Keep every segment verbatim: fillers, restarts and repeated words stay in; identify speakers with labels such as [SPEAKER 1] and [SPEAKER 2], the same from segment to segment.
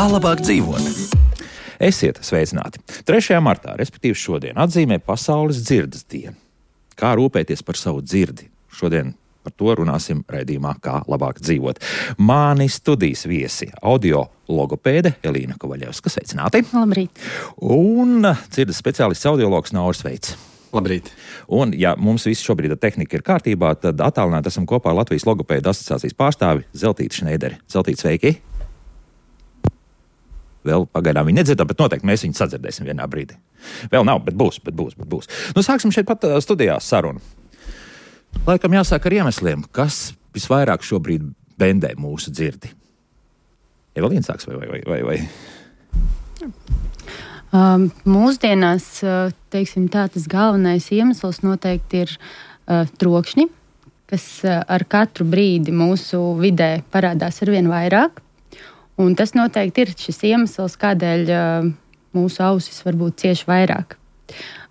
[SPEAKER 1] Kā labāk dzīvot? Esiet sveicināti! trešajā martā, respektīvi šodien, atzīmē Pasaules dzirdes dienu. Kā rūpēties par savu dzirdi? Šodien par to runāsim raidījumā Kā labāk dzīvot. Mani studijas viesi audio logopēde Elīna Kovaļevska. Sveicināti!
[SPEAKER 2] Labrīt!
[SPEAKER 1] Un dzirdes speciālists audiologs Nauris Veits.
[SPEAKER 3] Labrīt!
[SPEAKER 1] Un, ja mums viss šobrīd tehnika ir kārtībā, tad attālināti esam kopā ar Latvijas logopēdu asociācijas pārstāvi Zeltīti Šneideri. Zeltīti, sveiki! Vēl pagaidām viņi nedzirdam, bet noteikti mēs viņu sadzirdēsim vienā brīdī. Vēl nav, bet būs, bet būs, bet būs. Nu, sāksim šeit pat studijā sarunu. Laikam jāsāk ar iemesliem, kas visvairāk šobrīd bendē mūsu dzirdi. Evelīna sāks vai, vai, vai, vai?
[SPEAKER 2] Um, mūsdienās, teiksim tā, tas galvenais iemesls noteikti ir uh, trokšņi, kas uh, ar katru brīdi mūsu vidē parādās arvien vairāk. Un tas noteikti ir šis iemesls, kādēļ uh, mūsu ausis varbūt cieši vairāk.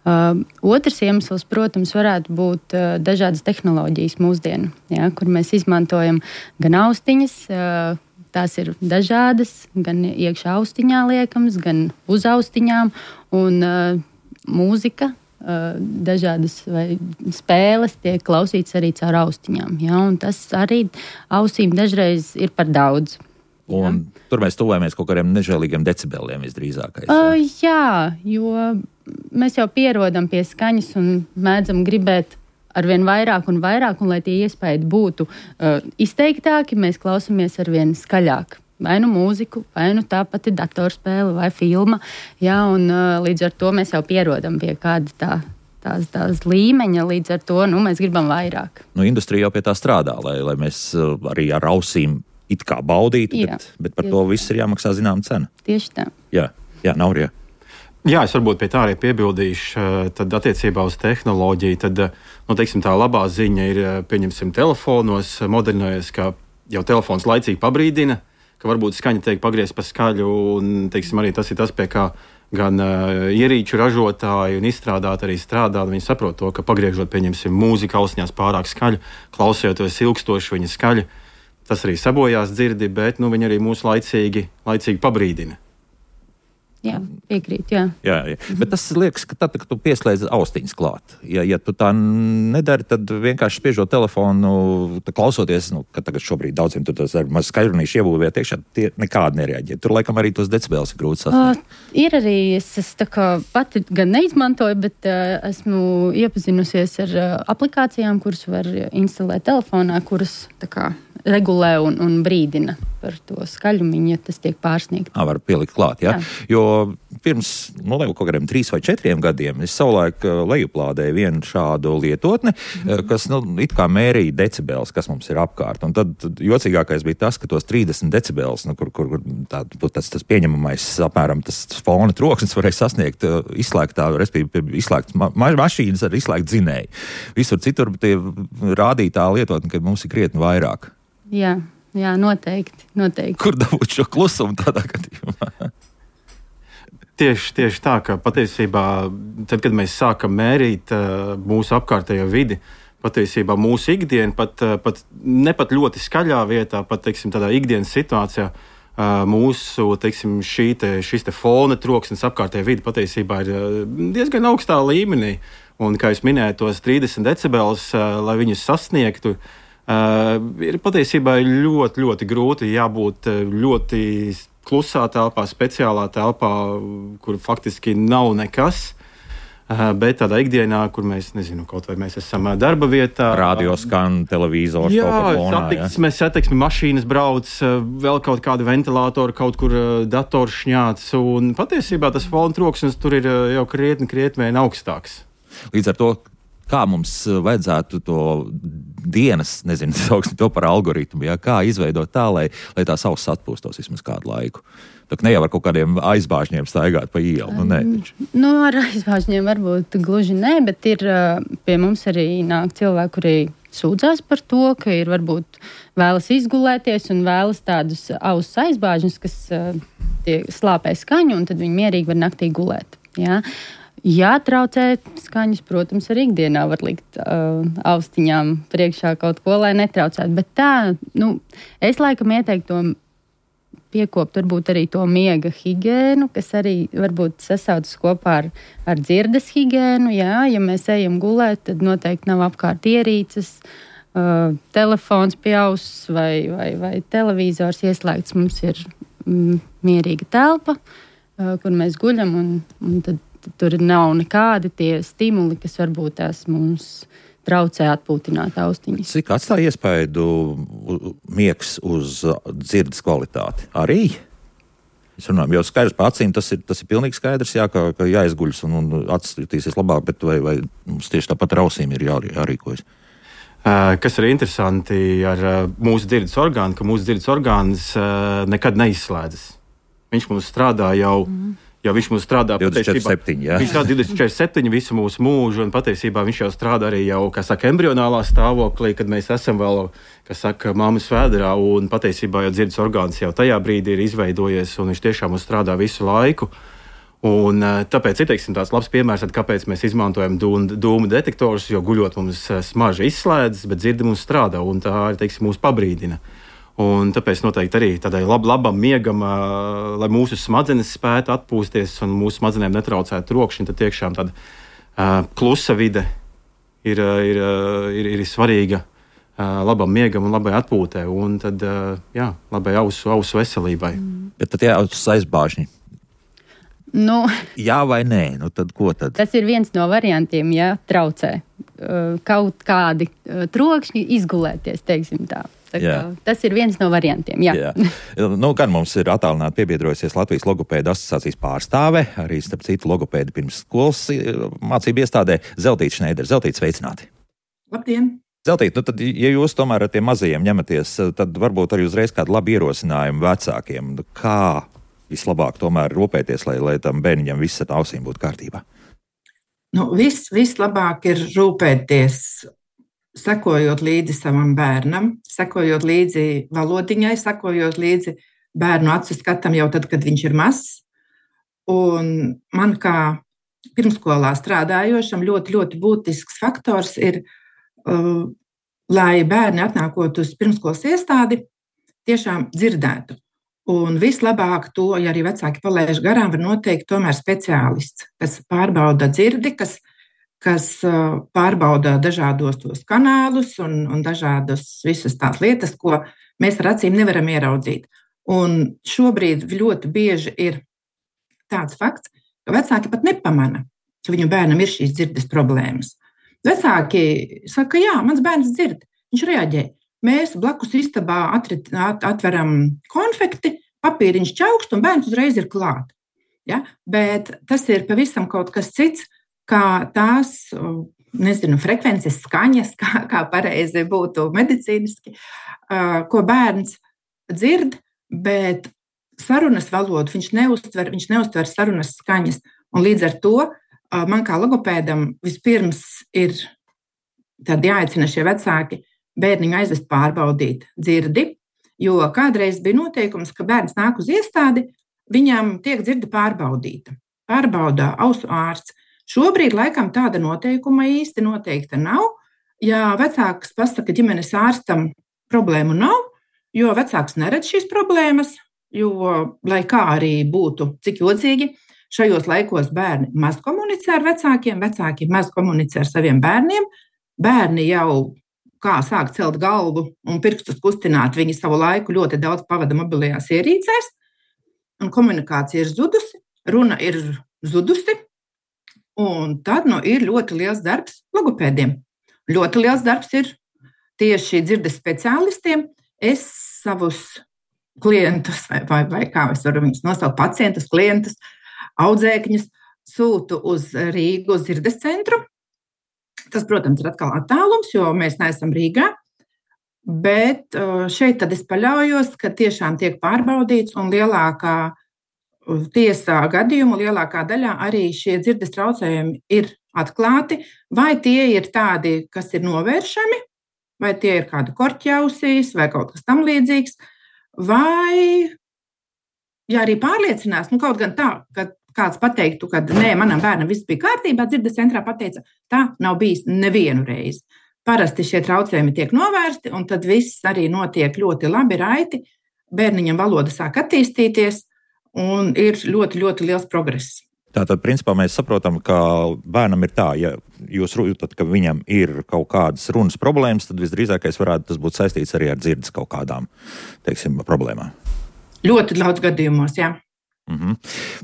[SPEAKER 2] Uh, otrs iemesls, protams, varētu būt uh, dažādas tehnoloģijas mūsdienu, ja, kur mēs izmantojam gan austiņas, uh, tās ir dažādas, gan iekšā austiņā liekams, gan uz austiņām, un uh, mūzika, uh, dažādas vai spēles tiek klausītas arī caur austiņām. Ja, un tas arī ausīm dažreiz ir par daudz.
[SPEAKER 1] Un jā. Tur mēs tuvojamies kaut kādiem nežēlīgiem decibeliem visdrīzākais.
[SPEAKER 2] Uh, jā, jo mēs jau pierodam pie skaņas un mēdzam gribēt arvien vairāk un vairāk, un lai tie iespēja būtu uh, izteiktāki, mēs klausamies arvien skaļāk. Vai nu mūziku, vai nu tā pati datorspēle vai filma. Jā, un uh, līdz ar to mēs jau pierodam pie kāda tā. Tās, tās līmeņa, līdz ar to nu, mēs gribam vairāk.
[SPEAKER 1] Nu, industrija jau pie tā strādā, lai, lai mēs uh, arī ar ausīm it kā baudītu,
[SPEAKER 2] jā,
[SPEAKER 1] bet, bet par
[SPEAKER 2] jā.
[SPEAKER 1] to viss ir jāmaksā zinām cena.
[SPEAKER 2] Tieši tā.
[SPEAKER 1] Jā, jā, Naurija.
[SPEAKER 3] Jā, es varbūt pie tā arī piebildīšu, tad attiecībā uz tehnoloģiju, tad, nu, teiksim, tā labā ziņa ir, pieņemsim, telefonos modernojas, ka jau telefons laicīgi pabrīdina, ka varbūt skaņa tiek pagriezt pa skaļu, un, teiksim, arī tas ir tas, pie kā gan uh, ierīču ražotāji un izstrādāti arī strādā, viņi saprot to, ka pagriežot, pieņemsim, mūzika austiņās pārāk skaļu, klausoties ilgstoši viņa skaļa, tas arī sabojās dzirdi, bet nu, viņi arī mūs laicīgi, laicīgi pabrīdina.
[SPEAKER 2] Jā, piekrīt, jā.
[SPEAKER 1] Jā, jā. Bet tas liekas, ka tad, kad tu pieslēdz austiņas klāt. Ja, ja tu tā nedari, tad vienkārši spiežot telefonu, klausoties, nu, ka tagad šobrīd daudziem tur tas ar maz skaļrunīšu iebūvēt iekšā, tie nekādi nereaģē. Tur laikam arī tos decibels ir grūti sasniegt.
[SPEAKER 2] Uh, ir arī, es, es tā kā pati gan neizmantoju, bet uh, esmu iepazinusies ar uh, aplikācijām, kuras var instalēt telefonā, kuras tā kā regulē un, un brīdina par to skaļumiņu, ja tas tiek pārsniegts.
[SPEAKER 1] Ā, var pielikt klāt, jā. jā. Jo pirms, nu, kaut kādiem trīs vai četriem gadiem es savulaik lejuplādēju vienu šādu lietotni, mm-hmm. kas, nu, it kā mērīja decibels, kas mums ir apkārt. Un tad jocīgākais bija tas, ka tos trīsdesmit decibels, nu, kur, kur tā, tas, tas pieņemamais, apmēram tas fona troksnis varēja sasniegt izslēgtā, respektīvi izslēgt ma- mašīnas ar izslēgt dzinēju. Visur citur tie rādīja tā lietotni, ka mums ir krietni vairāk.
[SPEAKER 2] Jā, jā, noteikti, noteikti.
[SPEAKER 1] Kur dabūt šo klusumu tādā gadījumā?
[SPEAKER 3] Tieši, tieši tā, ka patiesībā, tad, kad mēs sākam mērīt uh, mūsu apkārtējo vidi, patiesībā mūsu ikdiena, pat, uh, pat ne pat ļoti skaļā vietā, pat, teiksim, tādā ikdienas situācijā, uh, mūsu, teiksim, šī te, šis te fona troksnis apkārtējā vidi patiesībā ir uh, diezgan augstā līmenī. Un, kā jūs minējāt, tos trīsdesmit decibels, uh, lai viņus sasniegtu, Uh, ir patiesībā ļoti, ļoti grūti jābūt ļoti klusā telpā, speciālā telpā, kur faktiski nav nekas. Uh, bet tādā ikdienā, kur mēs, nezinu, kaut vai mēs esam darba vietā.
[SPEAKER 1] Radio skan, televizors,
[SPEAKER 3] jā,
[SPEAKER 1] kaut kā fonā.
[SPEAKER 3] Jā, satiksmes, satiksmes mašīnas brauc, vēl kaut kāda ventilatora, kaut kur dators šņāts. Un patiesībā tas fona troksnis tur ir jau krietni, krietni vien augstāks.
[SPEAKER 1] Līdz ar to, kā mums vajadzētu to dienas, nezinu, sauksim to par algoritmu, ja? Kā izveidot tā, lai, lai tās auss atpūstos vismaz kādu laiku. Tā ne jau ar kaut kādiem aizbāžņiem staigāt pa ielu. Nu, nē,
[SPEAKER 2] nu, ar aizbāžņiem varbūt gluži nē, bet ir pie mums arī nāk cilvēki, kuri sūdzās par to, ka ir varbūt vēlas izgulēties un vēlas tādus auss aizbāžņus, kas tie slāpē skaņu, un tad viņi mierīgi var naktī gulēt. Ja? Jā, traucēt skaņas, protams, arī ikdienā var likt uh, austiņām priekšā kaut ko, lai netraucētu. Bet tā, nu, es laikam ieteiktu to piekopt varbūt arī to miega higiēnu, kas arī varbūt sasaucas kopā ar, ar dzirdes higiēnu. Jā, ja mēs ejam gulēt, tad noteikti nav apkārt ierīces, uh, telefons pie auss vai, vai, vai televizors ieslēgts. Mums ir mm, mierīga telpa, uh, kur mēs guļam, un, un tad, tad tur nav nekādi tie stimuli, kas varbūt tās mums traucē atpūtināt austiņas.
[SPEAKER 1] Cik atstāja iespaidu miegs uz dzirdes kvalitāti? Arī? Es runāju, jo skaidrs pa acīm tas ir, tas ir pilnīgi skaidrs, jā, ka, ka jāizguļas un, un acis jutīsies labāk, bet vai, vai mums tieši tāpat ar ausīm ir jā, jārīkojas?
[SPEAKER 3] Uh, kas ir interesanti ar uh, mūsu dzirdes orgānu, ka mūsu dzirdes orgāns uh, nekad neizslēdzas. Viņš mums strādā jau mm. Jo viņš mums strādā
[SPEAKER 1] divdesmit četri septiņi, jā.
[SPEAKER 3] Viņš strādā divdesmit četri septiņi visu mūsu mūžu, un patiesībā viņš jau strādā arī jau, kā saka, embrionālā stāvoklī, kad mēs esam vēl, kā saka, mammas vēderā, un patiesībā jau dzirdes orgāns jau tajā brīdī ir izveidojies, un viņš tiešām mums strādā visu laiku. Un tāpēc ir, teiksim, tāds labs piemērs, kāpēc mēs izmantojam dūmu detektorus, jo guļot mums smarža izslēdzas, bet dzirde mums strādā, un tā ir, teiksim, mūs pabrīdina. Un tāpēc noteikti arī tādai lab, labam miegam, uh, lai mūsu smadzenes spētu atpūsties un mūsu smadzenēm netraucētu trokšņi, tad tiešām tāda uh, klusa vide ir, ir, ir, ir svarīga uh, labam miegam un labai atpūtē, un tad, uh, jā, labai ausu, ausu veselībai.
[SPEAKER 2] Mm.
[SPEAKER 1] Bet tad jāautas aizbāžņi.
[SPEAKER 2] Nu,
[SPEAKER 1] jā vai nē? Nu tad ko tad?
[SPEAKER 2] Tas ir viens no variantiem, ja traucē uh, kaut kādi uh, trokšņi izgulēties, teiksim tā. Tas ir viens no variantiem. Jā.
[SPEAKER 1] Jā. Nu, gan mums ir attālināti piebiedrojusies Latvijas logopēdu asociācijas pārstāve, arī starp citu logopēdi pirms skolas mācību iestādē Zeltīte Šneidere. Zeltīte, sveicināti!
[SPEAKER 4] Labdien!
[SPEAKER 1] Zeltīte, nu tad, ja jūs tomēr ar tiem mazajiem ņematies, tad varbūt arī uzreiz kādu labu ierosinājumu vecākiem. Kā vislabāk tomēr rūpēties, lai, lai tam bērniņam viss ar ausīm būtu kārtībā?
[SPEAKER 4] Nu, vis, vislabāk ir rūpēties, sekojot līdzi savam bērnam, sekojot līdzi valodiņai, sekojot līdzi bērnu acu skatam jau tad, kad viņš ir mazs. Un man kā pirmskolā strādājošam ļoti, ļoti būtisks faktors ir, uh, lai bērni atnākot uz pirmskolas iestādi, tiešām dzirdētu. Un vislabāk to, ja arī vecāki palaiž garām, var noteikt tomēr speciālists, kas pārbauda dzirdi, kas kas pārbauda dažādos tos kanālus un, un dažādas visas tās lietas, ko mēs ar acīm nevaram ieraudzīt. Un šobrīd ļoti bieži ir tāds fakts, ka vecāki pat nepamana, ka viņu bērnam ir šīs dzirdes problēmas. Vecāki saka, jā, mans bērns dzird, viņš reaģē. Mēs blakus istabā atrit, at, atveram konfekti, papīriņš čaukst un bērns uzreiz ir klāt. Ja? Bet tas ir pavisam kaut kas cits, kā tās, nezinu, frekvences, skaņas, kā, kā pareizi būtu medicīniski, ko bērns dzird, bet sarunas valodu viņš neuztver, viņš neuztver sarunas skaņas. Un līdz ar to man kā logopēdam vispirms ir tad jāaicina šie vecāki bērniņu aizvest pārbaudīt dzirdi, jo kādreiz bija noteikums, ka bērns nāk uz iestādi, viņam tiek dzirde pārbaudīta. Pārbaudā ausu ārsts. Šobrīd laikam tāda noteikuma īsti noteikta nav. Ja vecāks pasaka ģimenes ārstam, problēmu nav, jo vecāks neredz šīs problēmas, jo, lai kā arī būtu, cik jocīgi, šajos laikos bērni maz komunicē ar vecākiem, vecāki maz komunicē ar saviem bērniem, bērni jau kā sāk celt galvu un pirkstus kustināt, viņi savu laiku ļoti daudz pavada mobilajās ierīcēs, un komunikācija ir zudusi, runa ir zudusi, un tad nu, ir ļoti liels darbs logopēdiem. Ļoti liels darbs ir tieši dzirdes speciālistiem. Es savus klientus, vai, vai, vai kā es varu viņus nosaukt, pacientus, klientus, audzēkņus, sūtu uz Rīgu, uz dzirdes centru. Tas, protams, ir atkal attālums, jo mēs neesam Rīgā. Bet šeit tad es paļaujos, ka tiešām tiek pārbaudīts un lielākā tiesā gadījumu lielākā daļā arī šie dzirdes traucējumi ir atklāti, vai tie ir tādi, kas ir novēršami, vai tie ir kāda korķausīs, vai kaut kas tam līdzīgs, vai, ja arī pārliecinās, nu kaut gan tā, ka kāds pateiktu, ka nē, manam bērnam viss bija kārtībā, dzirdes centrā pateica, tā nav bijis nevienu reizi. Parasti šie traucējumi tiek novērsti, un tad viss arī notiek ļoti labi, raiti. bērniņam valoda sāk attīstīties un ir ļoti, ļoti liels progress.
[SPEAKER 1] Tātad, principā, mēs saprotam, ka bērnam ir tā, ja jūs jūtat, ka viņam ir kaut kādas runas problēmas, tad visdrīzākais varētu tas būt saistīts arī ar dzirdes kaut kādām, teiksim, problēmām.
[SPEAKER 4] Ļoti daudz gadījumos, jā.
[SPEAKER 1] Mm-hmm.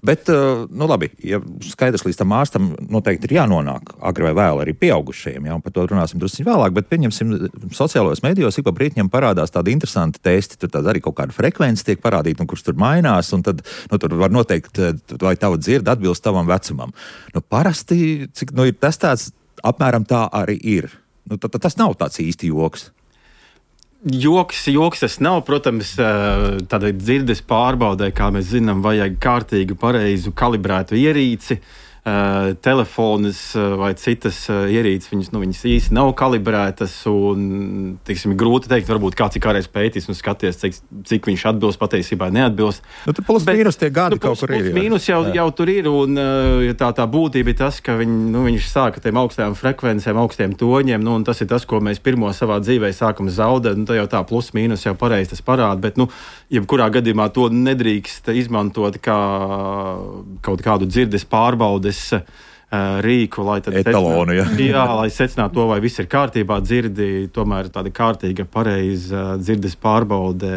[SPEAKER 1] Bet, nu labi, ja skaidrs līdz tam ārstam noteikti ir jānonāk agri vai vēl arī pieaugušajiem, jā, un par to runāsim drusku vēlāk, bet pieņemsim sociālajos medijos, ik pa brītņiem parādās tādi interesanti testi, tur tāda arī kaut kāda frekvence tiek parādīta, un kurš tur mainās, un tad, nu, tur var noteikt, vai tava dzirde atbilst tavam vecumam. Nu, parasti, cik, nu, ir tas tāds, apmēram tā arī ir. Nu, tad, tad tas nav tāds īsti joks.
[SPEAKER 3] Joks, joks tas nav, protams, tādai dzirdes pārbaudē, kā mēs zinām, vajag kārtīgu, pareizu, kalibrētu ierīci. Uh, telefonas uh, vai citas uh, ierīces, viņas, nu, viņas īsti nav kalibrētas un, teiksim, grūti teikt, varbūt kāds ir kādreiz pētījis un skaties, cik, cik viņš atbilst, patiesībā neatbilst.
[SPEAKER 1] Nu, tur plus mīnus tie gadi
[SPEAKER 3] nu,
[SPEAKER 1] kaut
[SPEAKER 3] plus,
[SPEAKER 1] kur ir.
[SPEAKER 3] Plus mīnus jau, jau tur ir un uh, tā, tā būtība ir tas, ka viņ, nu, viņš sāka tiem augstajām frekvencēm, augstiem toņiem, nu, un tas ir tas, ko mēs pirmo savā dzīvē sākam zaudēt, nu, tā jau tā plus mīnus jau pareizi tas parāda, bet, nu, jebkurā gadījumā to nedrīkst izmantot kā kaut kādu dzirdes pārbaudes rīku, lai tad
[SPEAKER 1] etalonu, jā.
[SPEAKER 3] jā, lai secinātu to, vai viss ir kārtībā, dzirdi, tomēr tāda kārtīga, pareiza dzirdes pārbaude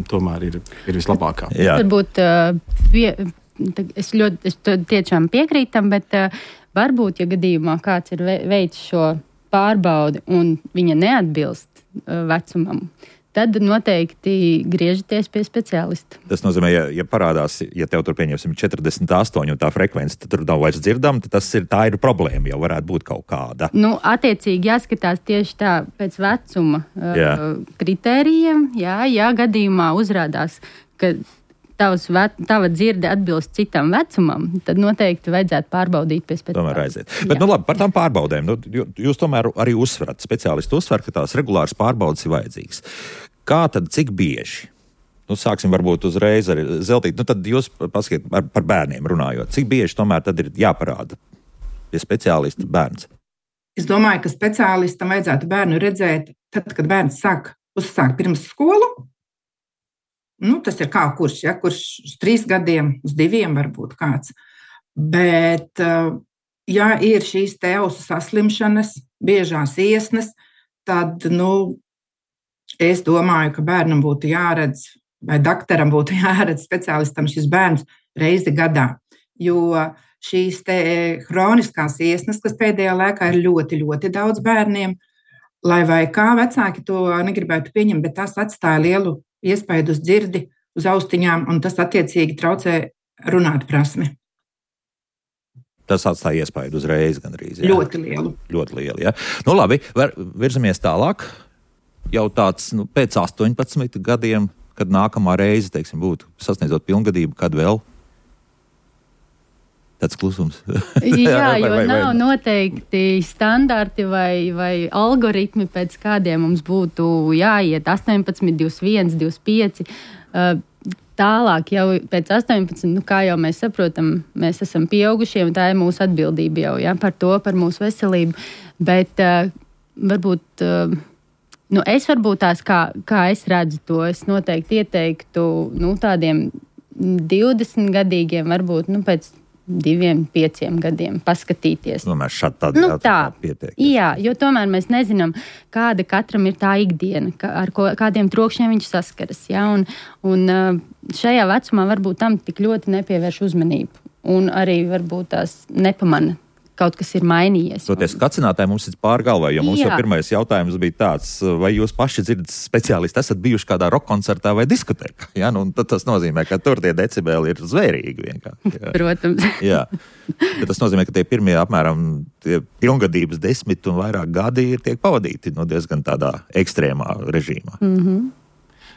[SPEAKER 3] tomēr ir, ir vislabākā.
[SPEAKER 1] Jā.
[SPEAKER 2] Varbūt pie, es ļoti es tiešām piekrītam, bet varbūt, ja gadījumā kāds ir veicis šo pārbaudi un viņa neatbilst vecumam, tad noteikti griežaties pie speciālista.
[SPEAKER 1] Tas nozīmē, ja, ja parādās, ja tev tur pieņemsim četrdesmit astoņi un tā frekvence, tad tur nav vairs dzirdama, tad tas ir, tā ir problēma, jau varētu būt kaut kāda.
[SPEAKER 2] Nu, attiecīgi jāskatās tieši tā pēc vecuma jā. uh, kritērijiem, jā, ja gadījumā uzrādās, ka tavs, tava dzirde atbilst citam vecumam, tad noteikti vajadzētu pārbaudīt pie speciālista.
[SPEAKER 1] Tomēr aiziet. Bet, jā. nu labi, par tām pārbaudēm. Nu, jūs tomēr arī uzsverat, speciālisti uzsver, ka tās regulāras pārbaudes ir vajadzīgas. Kā tad, cik bieži? Nu, sāksim varbūt uzreiz ar Zeltīti. Nu, tad jūs pasakiet par, par bērniem runājot. Cik bieži tomēr tad ir jāparāda pie speciālista bērns?
[SPEAKER 4] Es domāju, ka speciālistam vajadzētu bērnu redzēt tad, kad bērns sāk uzsākt pirms skolu. Nu, tas ir kā kurš, ja, kurš uz trīs gadiem, uz diviem varbūt kāds. Bet, ja ir šīs te ausu saslimšanas, biežās iesnas, tad, nu, es domāju, ka bērnam būtu jāredz, vai daktaram būtu jāredz speciālistam šis bērns reizi gadā. Jo šīs te hroniskās iesnas, kas pēdējā laikā ir ļoti, ļoti daudz bērniem, lai vai kā vecāki to negribētu pieņemt, bet tas atstāja lielu iespaidu uz dzirdi, uz austiņām, un tas attiecīgi traucē runāt prasmi.
[SPEAKER 1] Tas atstāja iespaidu uzreiz gandrīz. Jā.
[SPEAKER 4] Ļoti lielu.
[SPEAKER 1] Ļoti lielu, jā. Nu labi, var, virzamies tālāk. Jau tāds, nu, pēc astoņpadsmit gadiem, kad nākamā reize, teiksim, būtu sasniedzot pilngadību, kad vēl? Tāds klusums.
[SPEAKER 2] Jā, jo vai, vai, nav vai. noteikti standarti vai, vai algoritmi, pēc kādiem mums būtu jāiet astoņpadsmit, divdesmit viens, divdesmit pieci. Tālāk jau pēc astoņpadsmit, nu, kā jau mēs saprotam, mēs esam pieaugušie un tā ir mūsu atbildība jau, ja, par to, par mūsu veselību. Bet uh, varbūt, uh, nu, es varbūt tās, kā, kā es redzu to, es noteikti ieteiktu, nu, tādiem divdesmit gadīgiem, varbūt, nu, pēc diviem, pieciem gadiem paskatīties.
[SPEAKER 1] Tomēr šādi tādi
[SPEAKER 2] nu, tā,
[SPEAKER 1] pietiek.
[SPEAKER 2] Jā, jo tomēr mēs nezinām, kāda katram ir tā ikdiena, ar ko, kādiem trokšņiem viņš saskaras. Ja? Un, un šajā vecumā varbūt tam tik ļoti nepievērš uzmanību. Un arī varbūt tās nepamana. Kaut kas ir mainījies.
[SPEAKER 1] Toties kacinātāji mums ir pār galvā, jo mums
[SPEAKER 2] Jā.
[SPEAKER 1] jau pirmais jautājums bija tāds, vai jūs paši dzirdes speciālisti esat bijuši kādā rock koncertā vai diskotēkā? Ja? Nu, tad tas nozīmē, ka tur tie decibeli ir zvērīgi vienkārši. Ja?
[SPEAKER 2] Protams.
[SPEAKER 1] Jā. Bet tas nozīmē, ka tie pirmie apmēram tie pilngadības desmit un vairāk gadi ir tiek pavadīti no diezgan tādā ekstrēmā režīmā.
[SPEAKER 2] Mhm.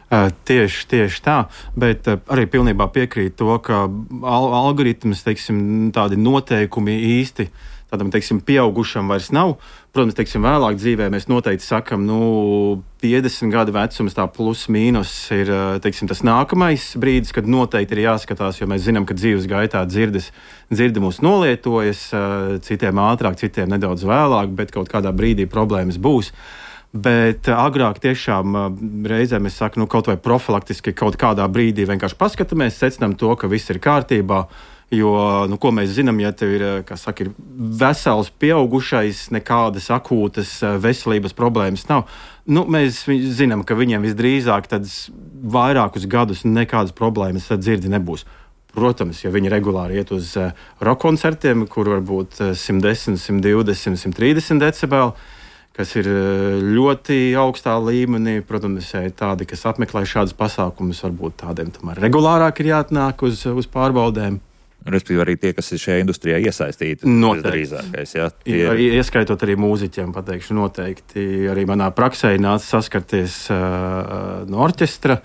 [SPEAKER 3] Uh, tieši, tieši tā, bet uh, arī pilnībā piekrīt to, ka al algoritms, teiksim, tādi noteikumi īsti tādam, teiksim, pieaugušam vairs nav. Protams, teiksim, vēlāk dzīvē mēs noteikti sakam, nu, piecdesmit gadu vecums, tā plus mīnus ir, teiksim, tas nākamais brīdis, kad noteikti ir jāskatās, jo mēs zinām, ka dzīves gaitā dzirdes, dzirde mūs nolietojas, uh, citiem ātrāk, citiem nedaudz vēlāk, bet kaut kādā brīdī problēmas būs. Bet agrāk tiešām reizēm es saku, nu, kaut vai profilaktiski kaut kādā brīdī vienkārši paskatāmies, secinām to, ka viss ir kārtībā. Jo, nu, ko mēs zinām, ja tev ir, kā saka, ir vesels pieaugušais, nekādas akūtas veselības problēmas nav. Nu, mēs zinām, ka viņiem visdrīzāk tad vairākus gadus nekādas problēmas ar dzirdi nebūs. Protams, ja viņi regulāri iet uz roka koncertiem, kur varbūt simt desmit, simt divdesmit, simt trīsdesmit decibeli, kas ir ļoti augstā līmenī. Protams, ja tādi, kas apmeklē šādus pasākumus, varbūt tādiem tomēr regulārāk ir jāatnāk uz, uz pārbaudēm.
[SPEAKER 1] Respektīvi arī tie, kas ir šajā industrijā iesaistīti.
[SPEAKER 3] Noteikti.
[SPEAKER 1] Ja, tie...
[SPEAKER 3] Ieskaitot arī mūziķiem, pateikšu noteikti. Arī manā praksē nāca saskarties uh, no orķestra,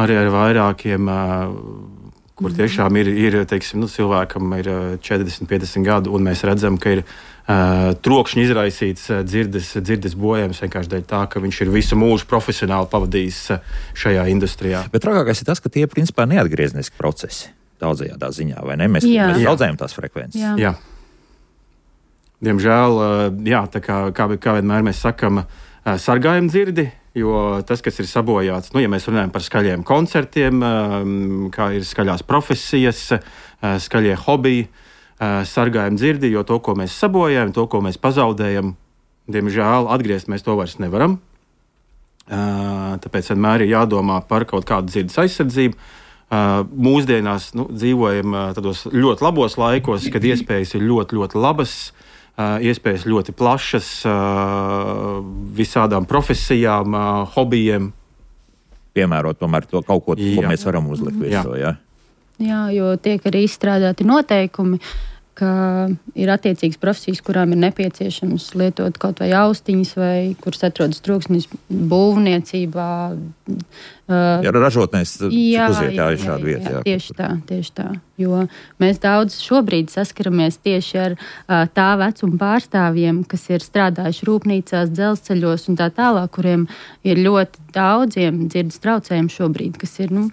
[SPEAKER 3] arī ar vairākiem, uh, kur tiešām ir, ir teiksim, nu, cilvēkam ir četrdesmit, piecdesmit gadu, un mēs redzam, ka ir uh, trokšņi izraisīts uh, dzirdes, dzirdes bojājums vienkārši dēļ tā, ka viņš ir visu mūžu profesionāli pavadījis uh, šajā industrijā.
[SPEAKER 1] Bet trakākais ir tas, ka tie principā neatgriezniski procesi. Daudzajādā ziņā, vai ne? Mēs, mēs daudzējam tās frekvences.
[SPEAKER 2] Jā.
[SPEAKER 3] Jā. Diemžēl, jā, tā kā, kā, kā vienmēr mēs sakam, sargājam dzirdi, jo tas, kas ir sabojāts, nu, ja mēs runājam par skaļiem koncertiem, kā ir skaļās profesijas, skaļie hobiji, sargājam dzirdi, jo to, ko mēs sabojājam, to, ko mēs pazaudējam, diemžēl atgriezt mēs to vairs nevaram. Tāpēc vienmēr ir jādomā par kaut kādu dzirdes aizsardzību. Uh, mūsdienās nu, dzīvojam uh, tādos ļoti labos laikos, kad iespējas ir ļoti, ļoti labas, uh, iespējas ļoti plašas uh, visādām profesijām, uh, hobijiem.
[SPEAKER 1] Piemērot tomēr to kaut ko, ko mēs varam uzlikt visu. Jā.
[SPEAKER 2] Jā, jo tiek arī izstrādāti noteikumi, ka ir attiecīgas profesijas, kurām ir nepieciešams lietot kaut vai austiņas, vai kuras atrodas troksnis būvniecībā.
[SPEAKER 1] Uh, jā, ražotnēs
[SPEAKER 2] jā,
[SPEAKER 1] uziet, jā,
[SPEAKER 2] jā,
[SPEAKER 1] šādu vietu.
[SPEAKER 2] Jā, tieši tā, tieši tā. Jo mēs daudz šobrīd saskaramies tieši ar uh, tā vecuma pārstāvjiem, kas ir strādājuši rūpnīcās, dzelzceļos un tā tālāk, kuriem ir ļoti daudziem dzirdes traucējumi šobrīd, kas ir, nu,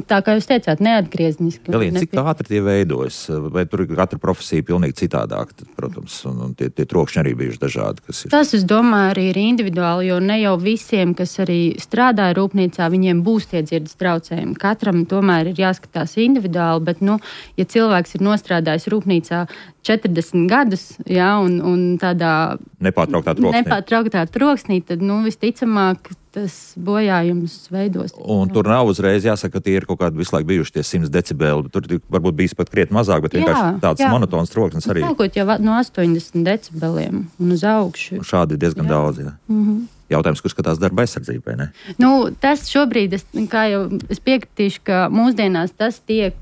[SPEAKER 2] tā kā jūs teicāt, neatgriezniski.
[SPEAKER 1] Galīgi, cik ātri tie veidojas? Vai tur ir katra profesija pilnīgi citādāk, tad, protams, un, un tie, tie trokšņi arī bijuši dažādi. Kas ir.
[SPEAKER 2] Tas, es domāju, arī ir individuāli, jo ne jau visiem, kas arī strādāja rūpnīcā, viņiem būs tie dzirdes traucējumi. Katram tomēr ir jāskatās individuāli, bet, nu, ja cilvēks ir nostrādājis rūpnīcā četrdesmit gadus, jā, un, un tādā
[SPEAKER 1] nepārtrauktā troksnī,
[SPEAKER 2] nepārtrauktā troksnī, tad, nu, visticamāk, tas bojājums veidos.
[SPEAKER 1] Un jā. Tur nav uzreiz jāsaka, ka tie ir kaut kādi visu laiku bijuši tie simt decibeli, bet tur varbūt bijis pat krietni mazāk, bet vienkārši tāds jā. monotons troksnis arī.
[SPEAKER 2] Sākot jau no astoņdesmit decibeliem un uz augšu.
[SPEAKER 1] Un šādi ir diezgan jā. daudz, jā. Mm-hmm. Jautājums, kurš skatās darba aizsardzībai, ne?
[SPEAKER 2] Nu, tas šobrīd, es, kā jau es piekritīšu, ka mūsdienās tas tiek,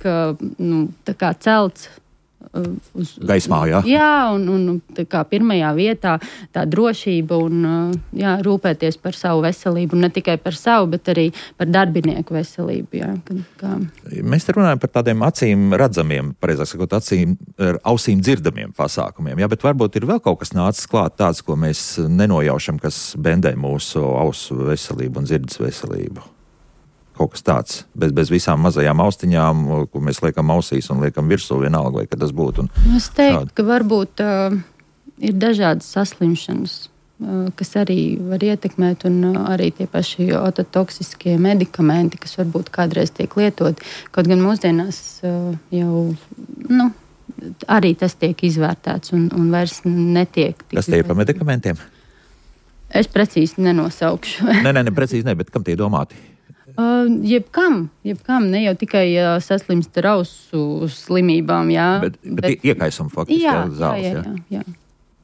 [SPEAKER 2] nu, tā kā celts uz
[SPEAKER 1] gaismā, jā.
[SPEAKER 2] Jā, un, un tā kā pirmajā vietā tā drošība un, jā, rūpēties par savu veselību, un ne tikai par savu, bet arī par darbinieku veselību, jā. Kā...
[SPEAKER 1] Mēs te runājam par tādiem acīm redzamiem, pareizāk sakot, acīm, ausīm dzirdamiem pasākumiem, jā, bet varbūt ir vēl kaut kas nācis klāt tāds, ko mēs nenojaušam, kas bendē mūsu ausu veselību un dzirdes veselību. Kaut kas tāds, bez, bez visām mazajām austiņām, ko mēs liekam ausīs un liekam virsū vienalga, vai ka tas būtu. Un
[SPEAKER 2] es teiktu, šādi. Ka varbūt uh, ir dažādas saslimšanas, uh, kas arī var ietekmēt, un uh, arī tie paši ototoksiskie medikamenti, kas varbūt kādreiz tiek lietoti. Kaut gan mūsdienās uh, jau, nu, arī tas tiek izvērtēts un, un vairs netiek.
[SPEAKER 1] Kas tie ir par medikamentiem?
[SPEAKER 2] Es precīzi nenosaukšu.
[SPEAKER 1] nē, nē, ne precīzi ne, bet kam tie domāti?
[SPEAKER 2] Uh, jebkam, jebkam, ne jau tikai uh, saslimst ar ausu slimībām, jā.
[SPEAKER 1] Bet, bet, bet iekaisam faktiski, jā, jā, zāles, jā. jā, jā, jā.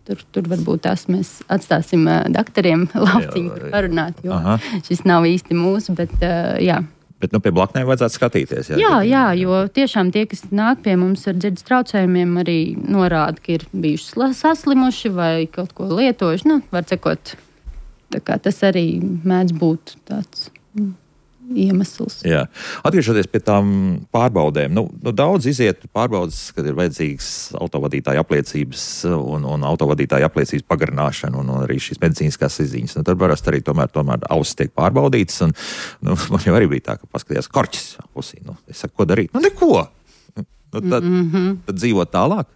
[SPEAKER 1] Tur, tur varbūt tās mēs atstāsim uh, daktariem lauciņu par parunāt, jo Aha. šis nav īsti mūsu, bet uh, jā. Bet nu pie blaknēm vajadzētu skatīties. Jā,
[SPEAKER 2] jā, jā, jo tiešām tie, kas nāk pie mums ar dzirdes traucējumiem, arī norāda, ka ir bijuši saslimuši vai kaut ko lietojuši. Nu, var sakot, tā kā tas arī mēdz būt tāds... Mm. iemesls.
[SPEAKER 1] Jā. Atgriežoties pie tām pārbaudēm, nu, nu daudz iziet pārbaudas, kad ir vajadzīgs autovadītāja apliecības un, un autovadītāja apliecības pagarināšana un, un arī šīs medicīniskās izziņas. Nu, tad parasti arī tomēr, tomēr ausis tiek pārbaudītas un nu, man jau arī bija tā, ka paskatījās korķis ausī. Nu, es saku, ko darīt? Nu, neko! Nu, tad, mm-hmm. tad dzīvot tālāk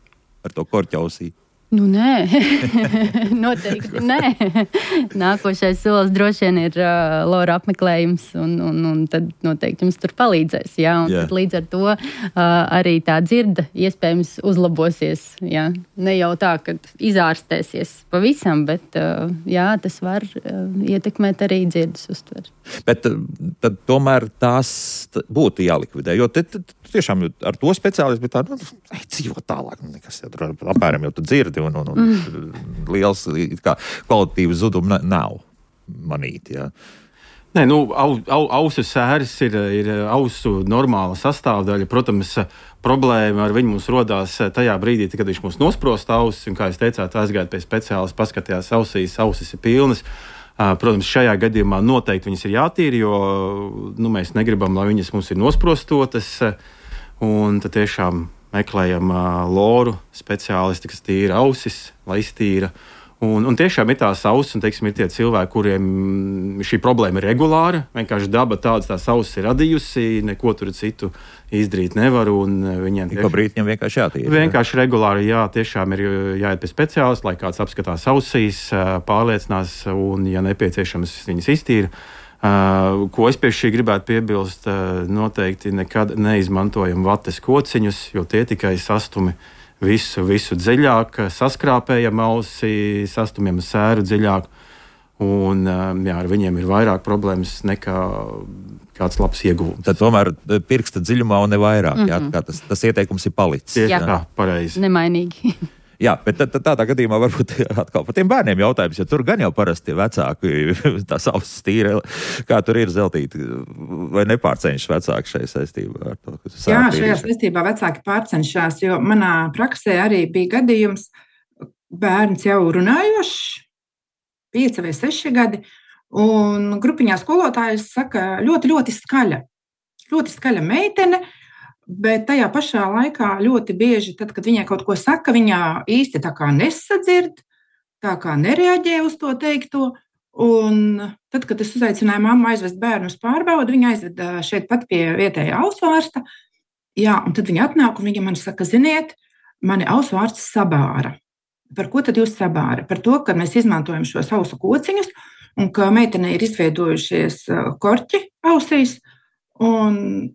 [SPEAKER 1] ar to korķi ausī.
[SPEAKER 2] Nu, nē, noteikti nē. Nākošais solis droši vien ir uh, Lora apmeklējums, un, un, un tad noteikti jums tur palīdzēs. Jā, un tad līdz ar to uh, arī tā dzirde iespējams uzlabosies. Jā. Ne jau tā, ka izārstēsies pavisam, bet uh, jā, tas var uh, ietekmēt arī dzirdes uztveri.
[SPEAKER 1] Bet tad tomēr tās būtu jālikvidē, jo te, te, tiešām ar to speciālistu bija tā, nu, dzīvo tālāk, nekas jau tur apmēram jau tu dzirdi, un, un, un mm. liels kā, kvalitīvas zuduma nav manīti, jā.
[SPEAKER 3] Nē, nu, au, au, ausu sēris ir, ir ausu normāla sastāvdaļa. Protams, problēma ar viņu mums rodās tajā brīdī, kad viņš mums nosprosta ausis, un, kā jūs teicāt, aizgājāt pie speciālista, paskatījās ausīs, ausis ir pilnas. Protams, šajā gadījumā noteikti viņas ir jātīra, jo nu, mēs negribam, lai viņas mums ir nosprostotas, un tad tiešām meklējam loru speciālisti, kas tīra ausis, lai iztīra. Un, un tiešām ir tās ausis, un teiksim, ir tie cilvēki, kuriem šī problēma ir regulāra. Vienkārši daba tādas tās ausis ir radījusi, neko tur citu izdarīt nevar. Viņiem
[SPEAKER 1] tieši, brīd viņam vienkārši jātīra.
[SPEAKER 3] Vienkārši regulāri, jā, tiešām ir jāiet pie speciālista, lai kāds apskatās ausīs, pārliecinās un, ja nepieciešams, viņas iztīra. Uh, ko es pie šī gribētu piebilst, uh, noteikti nekad neizmantojam vates kociņus, jo tie tikai sastumi visu, visu dziļāk, saskrāpējam ausi, sastumjam sēru dziļāk, un uh, jā, ar viņiem ir vairāk problēmas nekā kāds labs ieguvums.
[SPEAKER 1] Tad tomēr pirksta dziļumā un ne vairāk, mm-hmm. jā, kā tas, tas ieteikums ir palicis.
[SPEAKER 3] Jā, jā. Pareizi.
[SPEAKER 2] Nemainīgi.
[SPEAKER 1] Jā, bet tad, tad tādā gadījumā varbūt atkal par tiem bērniem jautājums, jo tur gan jau parasti vecāki tās ausis tīra, kā tur ir Zeltīti, vai nepārceņšas vecāki šai saistībā ar to?
[SPEAKER 4] Jā, šajā saistībā vecāki pārcenšās, jo manā praksē arī bija gadījums, bērns jau runājošs, pieci vai seši gadi, un grupiņā skolotājs saka, ļoti, ļoti skaļa, ļoti skaļa meitene, bet tajā pašā laikā ļoti bieži, tad, kad viņai kaut ko saka, viņa īsti tā kā nesadzird, tā kā nereaģē uz to teikto. Un tad, kad es uzaicināju mammu aizvest bērnu uz pārbaudi, viņa aizveda šeit pat pie vietējā ausu ārsta. Jā, un tad viņa atnāk un viņa man saka, ziniet, mani ausu ārsts sabāra. Par ko tad jūs sabāra? Par to, ka mēs izmantojam šos ausu kociņus un ka meitenei ir izveidojušies korķi ausīs un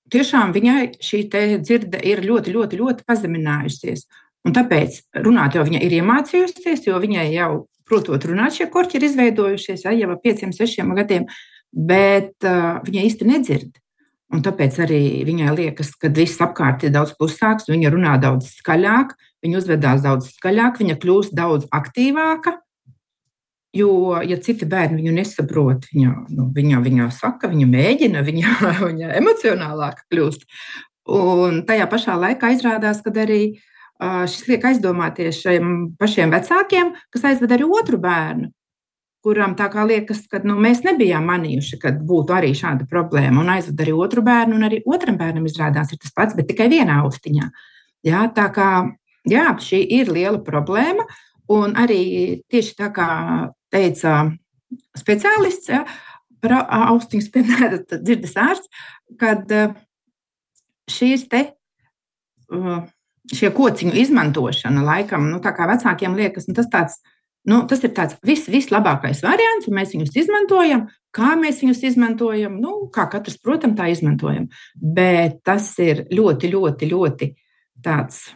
[SPEAKER 4] tiešām viņai šī dzirde ir ļoti, ļoti, ļoti pazeminājusies. Un tāpēc runāt jau viņa ir iemācījusies, jo viņai jau, protot runāt, šie korķi ir izveidojušies ja, jau ar pieciem, sešiem gadiem, bet uh, viņa īsti nedzird. Un tāpēc arī viņai liekas, ka viss apkārt ir daudz klusāks, viņa runā daudz skaļāk, viņa uzvedās daudz skaļāk, viņa kļūst daudz aktīvāka. Jo, ja citi bērni viņu nesaprot, viņa, nu, viņa, viņa saka, viņa mēģina, viņa, viņa emocionālāk kļūst. Un tajā pašā laikā izrādās, ka arī uh, šis liek aizdomāties šiem pašiem vecākiem, kas aizved arī otru bērnu, kuram tā kā liekas, ka nu, mēs nebijām manījuši, ka būtu arī šāda problēma, un aizved arī otru bērnu, un arī otram bērnam izrādās ir tas pats, bet tikai vienā austiņā. Jā, tā kā, jā, šī ir liela problēma, un arī tieši tā kā teica speciālists, ja, par austiņu spēnēta dzirdes ārsts, kad šīs te, šie kociņu izmantošana laikam, nu tā kā vecākiem liekas, nu tas tāds, nu tas ir tāds vis, vislabākais variants, un mēs viņus izmantojam, kā mēs viņus izmantojam, nu kā katrs, protams, tā izmantojam, bet tas ir ļoti, ļoti, ļoti tāds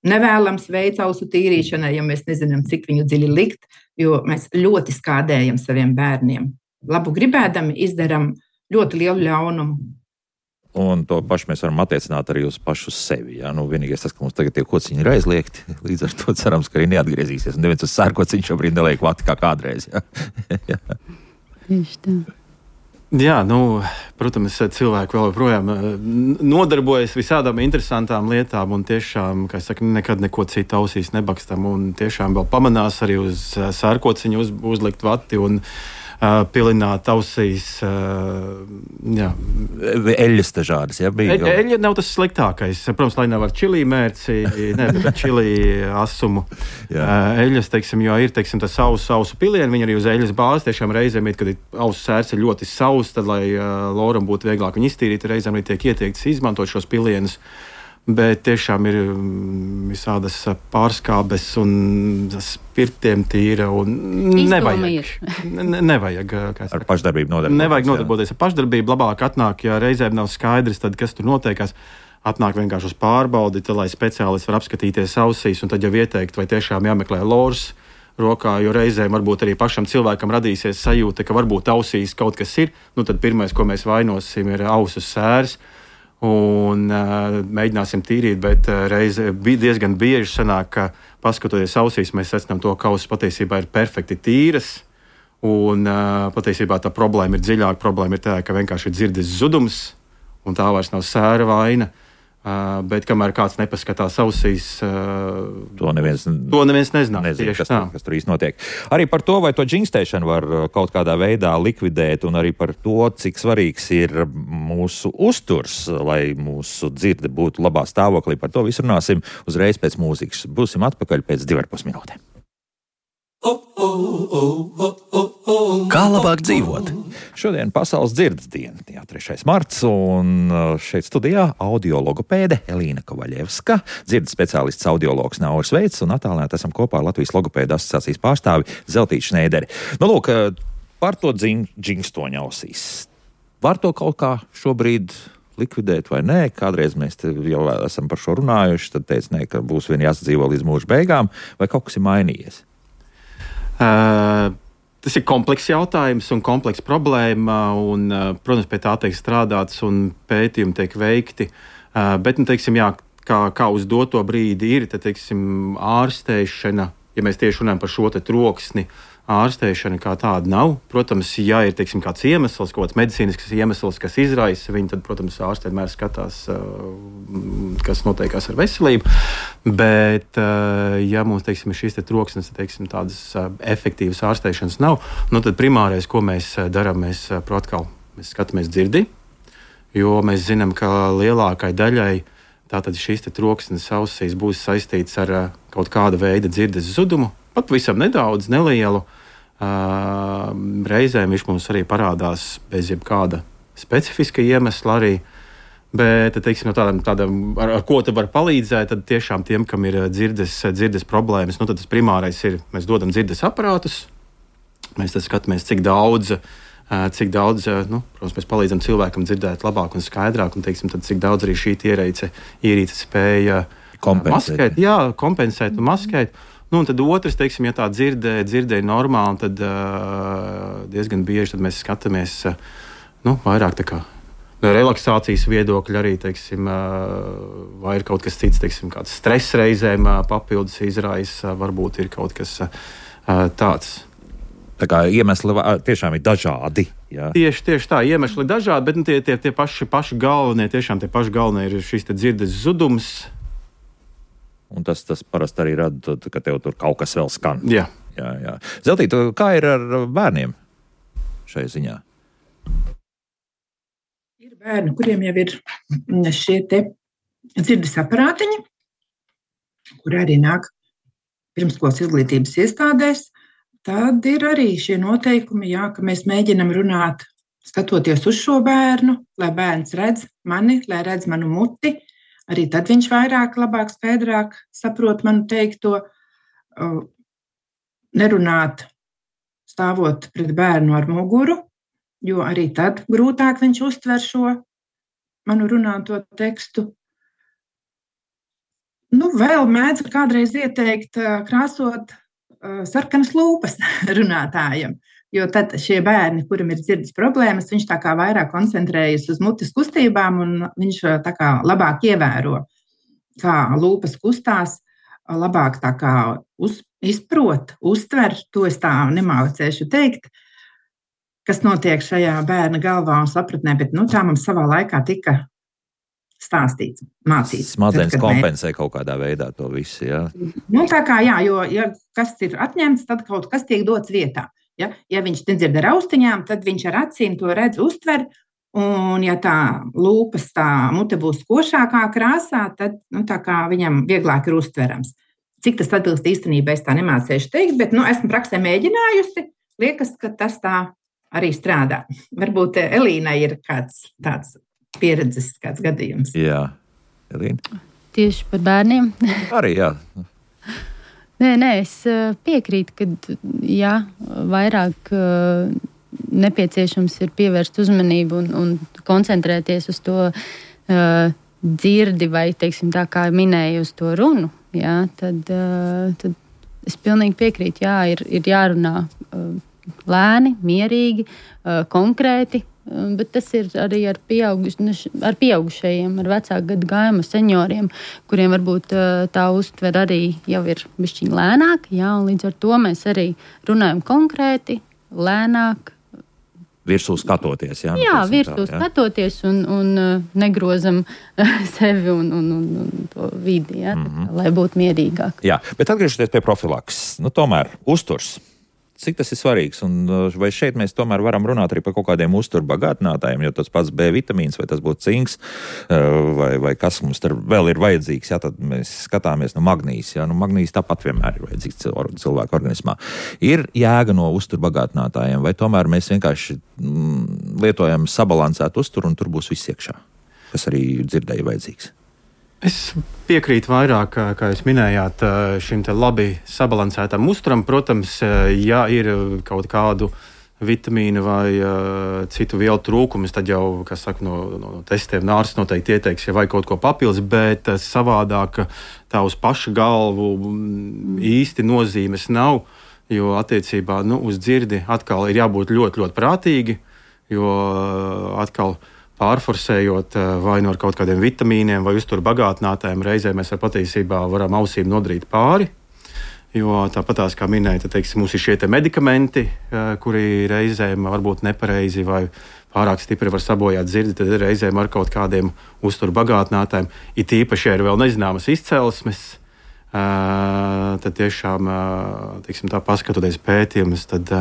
[SPEAKER 4] nevēlams veids ausu tīrīšanai, ja mēs nezinām, cik viņu dziļi likt, jo mēs ļoti skādējam saviem bērniem. Labu gribēdami izdaram ļoti lielu ļaunumu.
[SPEAKER 1] Un to pašu mēs varam attiecināt arī uz pašu sevi. Ja? Nu, vienīgais tas, ka mums tagad tie kociņi ir aizliegti, līdz ar to cerams, ka arī neatgriezīsies. Un neviens uz sērkociņu šobrīd neliek vati kā kādreiz. Ja?
[SPEAKER 2] Tieši tā.
[SPEAKER 3] Jā, nu, protams, cilvēki vēl joprojām nodarbojas visādām interesantām lietām un tiešām, kā es saku, nekad neko citu ausīs nebakstam un tiešām vēl pamanās arī uz sērkociņu uz, uzlikt vati un uh, pilināt ausīs. Uh, jā.
[SPEAKER 1] Eļļas dažādas, ja? Bija
[SPEAKER 3] e, eļļa nav tas sliktākais. Protams, lai nav ar čilī mērci, ne, bet ar čilī asumu. Uh, eļļas, teiksim, jo ir, teiksim, tas ausu, ausu pilieni, viņi arī uz eļļas bāzes tiešām reizēm ir, kad ausu sērs ir ļoti saus, tad, lai uh, loram būtu vieglāk viņu iztīrīt, reizēm arī tiek ieteikts izmantot šos pilienus. bet tiešām ir visādas pārskābes un spirtiem tīra un nevajag. ne, nevajag
[SPEAKER 1] ar pašdarbību nodarboties.
[SPEAKER 3] Nevajag nodarboties ar pašdarbību. Labāk atnāk, ja reizēm nav skaidrs, tad kas tur notiekās. Atnāk vienkārši uz pārbaudi, tad, lai speciālists var apskatīties ausīs un tad jau ieteikt, vai tiešām jāmeklē lors rokā, jo reizēm varbūt arī pašam cilvēkam radīsies sajūta, ka varbūt ausīs kaut kas ir. Nu, tad pirmais, ko mēs vainosim, ir ausu sērs. Un uh, mēģināsim tīrīt, bet uh, reize bija diezgan bieži sanāk, ka paskatoties ausīs, mēs secinām to, ka ausis patiesībā ir perfekti tīras. Un uh, patiesībā tā problēma ir dziļāka. Problēma ir tā, ka vienkārši ir dzirdes zudums, un tā vairs nav sēra vaina. Uh, bet kamēr kāds nepaskatās ausīs, uh,
[SPEAKER 1] to neviens,
[SPEAKER 3] to neviens nezina.
[SPEAKER 1] Nezinu, kas, tur, kas tur īsti notiek. Arī par to, vai to džingstēšanu var kaut kādā veidā likvidēt, un arī par to, cik svarīgs ir mūsu uzturs, lai mūsu dzirde būtu labā stāvoklī. Par to visu runāsim uzreiz pēc mūzikas. Būsim atpakaļ pēc divar pus minūtēm.
[SPEAKER 5] Kā labāk dzīvot?
[SPEAKER 1] Šodien pasaules dzirdes diena, jā, trešais marts, un šeit studijā audiologopēde Elīna Kovaļevska, dzirdes speciālists audiologs Nauris Veits, un attālināti esam kopā ar Latvijas logopēdu asociācijas pārstāvi Zeltīti Šneideri. Nu, lūk, par to džingstoņu ausīs. Var to kaut kā šobrīd likvidēt vai nē? Kādreiz mēs jau esam par šo runājuši, tad teica, nē, ka būs vien jāsadzīvo līdz mūža beigām, vai kaut kas ir mainījies?
[SPEAKER 3] Uh, tas ir komplekss jautājums un komplekss problēma, un, uh, protams, pie tā tiek strādāts un pētījumi tiek veikti, uh, bet, nu, teiksim, jā, kā, kā uz doto brīdi ir, tad, teiksim, ārstēšana, ja mēs tieši runājam par šo te troksni, ārstēšana kā tāda nav. Protams, ja ir, teiksim, kāds iemesls, kaut kāds medicīnisks iemesls, kas izraisa viņu, tad, protams, ārsti vienmēr skatās, kas notiekās ar veselību. Bet, ja mums, teiksim, ir šīs te troksnes, teiksim, tādas efektīvas ārstēšanas nav, nu, tad primārais, ko mēs darām, mēs, protkal, mēs skatāmies dzirdi, jo mēs zinām, ka lielākai daļai tātad šīs te troksnes ausīs būs saistīts ar kaut kāda veida dzirdes zudumu, pat visam nedaudz, nelielu. Uh, reizēm viņš mums arī parādās bez jebkāda specifiska iemesla arī. Bet, teiksim, no tādam, tādam ar, ar ko te var palīdzēt, tad tiešām tiem, kam ir dzirdes, dzirdes problēmas, nu tad tas primārais ir, mēs dodam dzirdes aparātus, mēs tad skatāmies, cik daudz, uh, cik daudz, uh, nu, protams, mēs palīdzam cilvēkam dzirdēt labāk un skaidrāk, un, teiksim, tad cik daudz arī šī ierīce, ierīce spēja
[SPEAKER 1] kompensēt.
[SPEAKER 3] maskēt, jā, kompensēt un maskēt. Nu, un tad otrs, teiksim, ja tā dzirdē, dzirdē ir normāli, tad uh, diezgan bieži tad mēs skatāmies uh, nu, vairāk tā kā no relaksācijas viedokļa arī, teiksim, uh, vai ir kaut kas cits, teiksim, kāds stress reizēm uh, papildus izraisa, uh, varbūt ir kaut kas uh, tāds.
[SPEAKER 1] Tā kā iemesli tiešām ir dažādi. Jā.
[SPEAKER 3] Tieši, tieši tā, iemesli ir dažādi, bet nu, tie, tie, tie paši, paši galvenie, tiešām tie paši galvenie ir šīs te dzirdes zudums.
[SPEAKER 1] Un tas, tas parasti arī rada, ka tev tur kaut kas vēl skan.
[SPEAKER 3] Jā.
[SPEAKER 1] Jā, jā. Zeltīte, kā ir ar bērniem šai ziņā?
[SPEAKER 4] Ir bērni, kuriem jau ir šie te dzirdes aparātiņi, kur arī nāk pirmskolas izglītības iestādēs. Tad ir arī šie noteikumi, jā, ka mēs mēģinam runāt, skatoties uz šo bērnu, lai bērns redz mani, lai redz manu muti. Arī tad viņš vairāk, labāk, skaidrāk saprot manu teikto. Nerunāt stāvot pret bērnu ar muguru, jo arī tad grūtāk viņš uztver šo manu runāto tekstu. Nu, vēl mēdz kādreiz ieteikt krāsot sarkanas lūpas runātājam. Jo tad šie bērni, kuram ir dzirdes problēmas, viņš tā kā vairāk koncentrējas uz mutes kustībām un viņš tā kā labāk ievēro, kā lūpas kustās, labāk tā kā uz, izprot, uztver, to es tā nemācēšu teikt, kas notiek šajā bērna galvā un sapratnē, bet nu, tā mums savā laikā tika stāstīts, mācīts.
[SPEAKER 1] Smadzenes kompensē kaut kādā veidā to visu, jā?
[SPEAKER 4] Nu, tā kā jā, jo ja kas ir atņemts, tad kaut kas tiek dots vietā. Ja, ja viņš nedzird ar austiņām, tad viņš ar acīm to redz, uztver, un ja tā lūpas, tā mute būs košākā krāsā, tad nu, tā kā viņam vieglāk ir uztverams. Cik tas atbilst īstenībā, es tā nemācēšu teikt, bet nu, esmu praksē mēģinājusi, liekas, ka tas tā arī strādā. Varbūt Elīnai ir kāds tāds pieredzes, kāds gadījums.
[SPEAKER 1] Jā, Elīna?
[SPEAKER 2] Tieši par bērniem.
[SPEAKER 1] Arī, jā.
[SPEAKER 2] Nē, nē, es piekrītu, ka jā, vairāk nepieciešams ir pievērst uzmanību un, un koncentrēties uz to uh, dzirdi vai, teiksim, tā kā minēju, uz to runu. Jā, tad, uh, tad es pilnīgi piekrītu, jā, ir, ir jārunā uh, lēni, mierīgi, uh, konkrēti. Bet tas ir arī ar, pieauguš, ar pieaugušajiem, ar vecāku gadu gājuma senioriem, kuriem varbūt tā uztver arī jau ir bišķiņ lēnāk, jā, un līdz ar to mēs arī runājam konkrēti, lēnāk.
[SPEAKER 1] Virsū skatoties, jā?
[SPEAKER 2] Jā, virsū skatoties un, un negrozam sevi un, un, un, un to vidi, jā, mm-hmm. tā, lai būtu mierīgāk.
[SPEAKER 1] Jā, bet atgriežoties pie profilakses, nu tomēr uzturs. Cik tas ir svarīgs, un vai šeit mēs tomēr varam runāt arī par kaut kādiem uzturbagātinātājiem, jo tas pats B vitamīns, vai tas būtu cinks, vai, vai kas mums tur vēl ir vajadzīgs, jā, tad mēs skatāmies no magnīs, jā, nu magnīs tāpat vienmēr ir vajadzīgs cilvēku organismā. Ir jēga no uzturbagātinātājiem, vai tomēr mēs vienkārši mm, lietojam sabalansētu uzturu, un tur būs viss iekšā, kas arī dzirdēja vajadzīgs?
[SPEAKER 3] Es piekrītu vairāk, kā jūs minējāt, šim te labi sabalansētam uzturam. Protams, ja ir kaut kādu vitamīnu vai uh, citu vielu trūkumus, tad jau, kas saka, no, no testiem ārsts noteikti ieteiks, ja vajag kaut ko papildus, bet uh, savādāk tā uz paša galvu īsti nozīmes nav, jo attiecībā nu, uz dzirdi atkal ir jābūt ļoti, ļoti prātīgi, jo uh, atkal pārforsējot vai no ar kaut kādiem vitamīniem vai uzturu bagātinātājiem, reizē mēs ar patiesībā varam ausīm nodarīt pāri. Jo tāpatās, kā minēja, tad, teiksim, mums ir šie te medikamenti, kuri reizēm varbūt nepareizi vai pārāk stipri var sabojāt dzirdi, tad reizēm ar kaut kādiem uzturu bagātinātājiem, it īpaši ir vēl nezināmas izcelsmes, tad tiešām, teiksim, tā paskatoties pētījumus, tad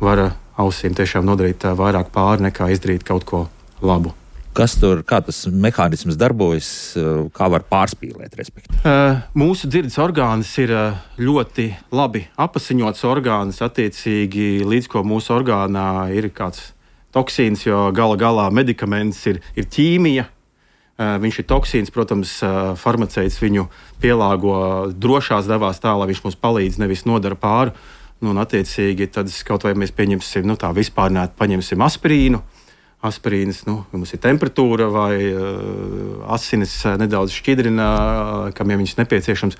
[SPEAKER 3] var ausīm tiešām nodarīt vairāk pāri nekā izdarīt kaut ko labu.
[SPEAKER 1] Kas tur, kā tas mehānisms darbojas, kā var pārspīlēt, respektīvi?
[SPEAKER 3] Uh, mūsu dzirdes orgāns ir ļoti labi apasiņots orgāns, attiecīgi līdz ko mūsu orgānā ir kāds toksīns, jo gala galā medikaments ir, ir ķīmija. Uh, viņš ir toksīns, protams, uh, farmaceits viņu pielāgo drošās devās tā, lai viņš mums palīdz, nevis nodara pāri. Nu, un attiecīgi tad kaut vai mēs pieņemsim, nu tā vispārnēt, paņemsim aspirīnu. Aspirīns, nu, mums ir temperatūra vai uh, asinis uh, nedaudz šķidrina, uh, kam ja viņš nepieciešams.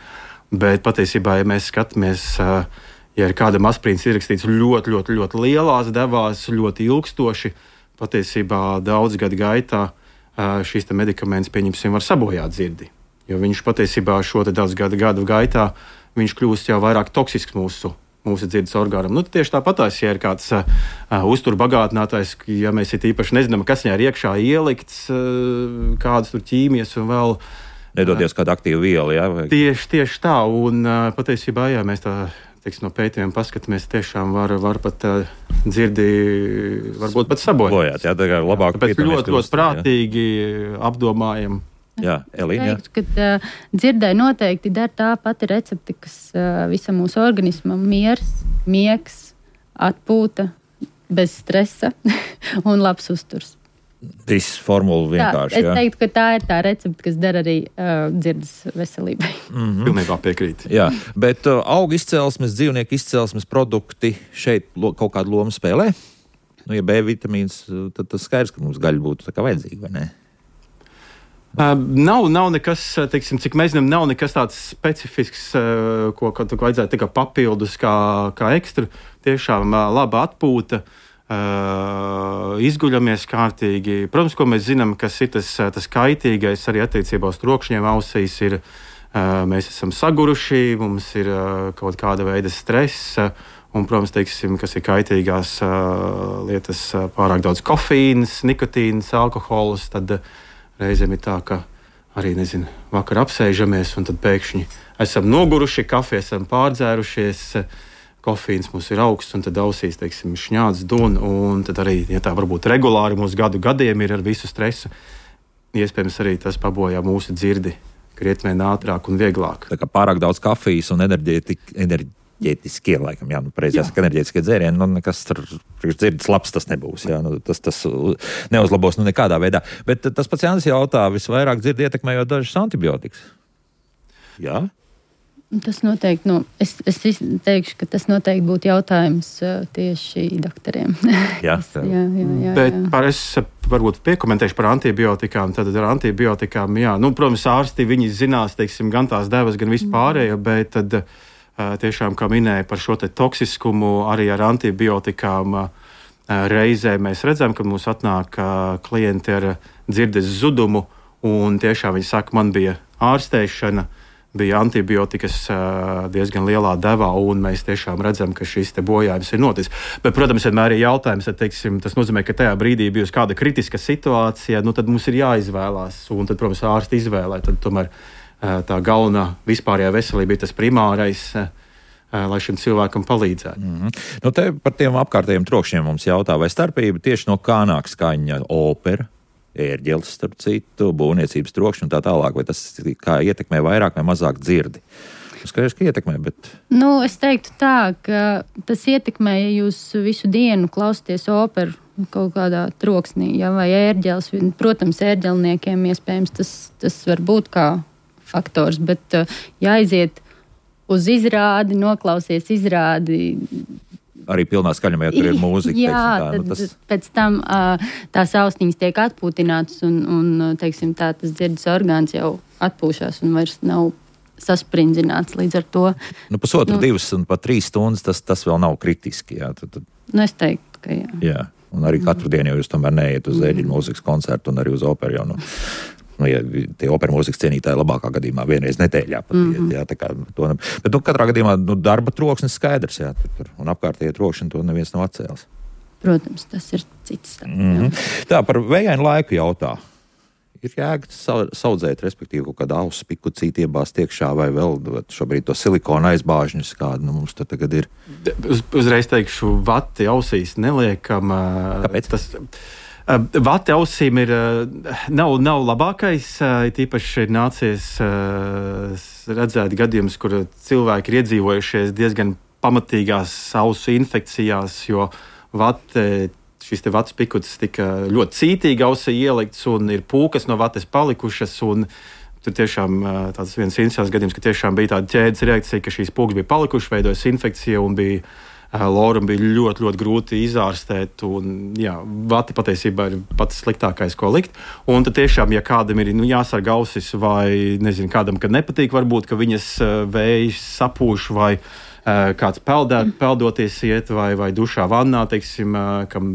[SPEAKER 3] Bet patiesībā, ja mēs skatāmies, uh, ja ir kādam aspirīns ierakstīts ļoti, ļoti, ļoti lielās devās, ļoti ilgstoši, patiesībā daudz gadu gaitā uh, šīs te medikaments, pieņemsim, var sabojāt dzirdi. Jo viņš patiesībā šo te daudz gadu, gadu gaitā viņš kļūst jau vairāk toksisks mūsu mūsu dzirdes orgānam. Nu, tieši tāpatās, ja ir kāds uh, uzturu bagātinātājs, ja mēs it īpaši nezinām, kas viņā ir iekšā ielikts, uh, kādas tur ķīmijas un vēl...
[SPEAKER 1] Nedodies kādu aktīvu vielu, jā? Vai...
[SPEAKER 3] Tieši, tieši tā, un uh, patiesībā, jā, mēs tā, teiksim, no pētījumiem paskatāmies, tiešām var, var pat uh, dzirdi, varbūt pat sabojāt.
[SPEAKER 1] Bojāt, jā, tā kā labāk
[SPEAKER 3] Tāpēc ļoti, ļoti prātīgi jā. Apdomājam.
[SPEAKER 1] Jā, Elīna.
[SPEAKER 2] Es teiktu, ka uh, dzirdai noteikti der tā pati recepte, kas uh, visam mūsu organismam miers, miegs, atpūta, bez stresa un labs uzturs.
[SPEAKER 1] Viss formula vienkārši,
[SPEAKER 2] tā, es
[SPEAKER 1] jā.
[SPEAKER 2] teiktu, ka tā ir tā recepte, kas der arī uh, dzirdes veselībai.
[SPEAKER 3] Mm-hmm. Pilnībā piekrīt.
[SPEAKER 1] Jā, bet uh, augu izcelsmes, dzīvnieku izcelsmes produkti šeit lo, kaut kādu lomu spēlē? Nu, ja B vitamīns, tad tas skaidrs, ka mums gaļa būtu tā kā vajadzīga, vai ne?
[SPEAKER 3] Uh, nav, nav nekas, teiksim, cik mēs zinām, nav nekas tāds specifisks, uh, ko, ko vajadzētu tikai papildus kā, kā ekstra. Tiešām uh, laba atpūta, uh, izguļamies kārtīgi. Protams, ko mēs zinām, kas ir tas, tas kaitīgais arī attiecībā uz trokšņiem ausīs, ir uh, mēs esam saguruši, mums ir uh, kaut kāda veida stress, uh, un, protams, teiksim, kas ir kaitīgās uh, lietas, uh, pārāk daudz kofīns, nikotīns, alkohols, tad uh, reizēm ir tā, ka arī, nezinu, vakar apsēžamies un tad pēkšņi esam noguruši, kafiju esam pārdzērušies, kofīns mums ir augsts un tad ausīs, teiksim, šņāds dun, un tad arī, ja tā varbūt regulāri mūsu gadu gadiem ir ar visu stresu, iespējams arī tas pabojā mūsu dzirdi krietni ātrāk un vieglāk.
[SPEAKER 1] Tā kā pārāk daudz kafijas un enerģētika, enerģētika. Enerģētiskie, laikam, jā, nu, pareizi jāsaka, enerģētiskie dzērieni, nu, nekas tur dzirdes labs tas nebūs, jā, nu, tas, tas neuzlabos, nu, nekādā veidā. Bet tas pats Jānis jautā, visvairāk dzirdi ietekmējot dažas antibiotikas. Jā?
[SPEAKER 2] Tas noteikti, nu, es, es teikšu, ka tas noteikti būtu jautājums uh, tieši doktoriem.
[SPEAKER 1] Jā,
[SPEAKER 2] jā, jā, jā,
[SPEAKER 3] Bet
[SPEAKER 2] jā.
[SPEAKER 3] par es varbūt piekomentēšu par antibiotikām. Tad ar antibiotikām, jā, nu, protams, ārsti viņi zinās, teiksim, gan tās devas, gan vispārējo, bet tad uh, tiešām, kā minēja par šo te toksiskumu, arī ar antibiotikām uh, reizē mēs redzam, ka mums atnāk uh, klienti ar dzirdes zudumu, un tiešām viņi saka, man bija ārstēšana, bija antibiotikas uh, diezgan lielā devā, un mēs tiešām redzam, ka šis te bojājums ir noticis. Bet, protams, vienmēr ir jautājums, tad, teiksim, tas nozīmē, ka tajā brīdī bijusi kāda kritiska situācija, nu tad mums ir jāizvēlās, un tad, protams, ārsti izvēlē, tad tomēr uh, tā galvenā vispārējā veselība ir tas primārais, uh, lai šim cilvēkam palīdzētu.
[SPEAKER 1] Mm-hmm. Nu, te par tiem apkārtējiem trokšņiem mums jautā, vai starpība tieši no kā nāk skaņa opera, ērģeles, starp citu, būvniecības trokšņi un tā tālāk, vai tas kā ietekmē vairāk vai mazāk dzirdi? Skaidrs, ka ietekmē, bet...
[SPEAKER 2] Nu, es teiktu tā, ka tas ietekmē, ja jūs visu dienu klausieties operu kaut kādā troksnī, ja, vai ērģeles. Protams, ērģelniekiem iespējams tas, tas var būt kā faktors, bet jāiziet uz izrādi, noklausies izrādi...
[SPEAKER 1] Arī pilnā skaņumā, ja tur ir mūzika.
[SPEAKER 2] Jā,
[SPEAKER 1] teiksim, tā,
[SPEAKER 2] tad
[SPEAKER 1] nu, tas...
[SPEAKER 2] pēc tam uh, tās austiņas tiek atpūtinātas un, un teiksim, tā, tas dzirdes orgāns jau atpūšās un vairs nav sasprindzināts līdz ar to.
[SPEAKER 1] Nu, pusotru,
[SPEAKER 2] nu,
[SPEAKER 1] divas un pat trīs stundas tas, tas vēl nav kritiski. Jā, tad, tad...
[SPEAKER 2] Nu, es teiktu, ka jā.
[SPEAKER 1] Jā, un arī katru mm. dienu jau jūs tomēr neiet uz ērģeļu mūzikas koncertu un arī uz operu. Jau, nu, nu, ja tie opera mūzikas cienītāji labākā gadījumā vienreiz nedēļā pat iet, mm-hmm. jā, tā kā to ne... Bet, nu, katrā gadījumā, nu, darba troksnis skaidrs, jā, tur, tur, un apkārtējie trokšņi to neviens nav atcēlis.
[SPEAKER 2] Protams, tas ir cits stāsts.
[SPEAKER 1] Mm-hmm. Tā, par vējainu laiku jautā. Ir jēga saudzēt, respektīvi, kaut kādu ausu piku cīti iebāzt iekšā vai vēl šobrīd to silikona aizbāžņus, kādu nu, mums tur tagad ir?
[SPEAKER 3] Uz, uzreiz teikšu, vati ausīs neliekam.
[SPEAKER 1] Kāpēc?
[SPEAKER 3] Tas, Vati ausīm ir, nav, nav labākais, tīpaši ir nācies redzēt gadījumus, kur cilvēki ir iedzīvojušies diezgan pamatīgās ausu infekcijās, jo vate, šis te vatas pikuts tika ļoti cītīgi ausī ielikts un ir pūkas no vates palikušas, un tur tiešām tāds viens interesants gadījums, ka tiešām bija tāda ķēdes reakcija, ka šīs pūkas bija palikušas, veidojas infekcija un bija Loram bija ļoti, ļoti grūti izārstēt, un jā, vati patiesībā ir pats sliktākais, ko likt. Un tad tiešām, ja kādam ir nu, jāsargā ausis vai, nezinu, kādam, kad nepatīk, varbūt, ka viņas vējs sapūš vai uh, kāds peldēt, peldoties iet vai, vai dušā vannā, teiksim, uh, kam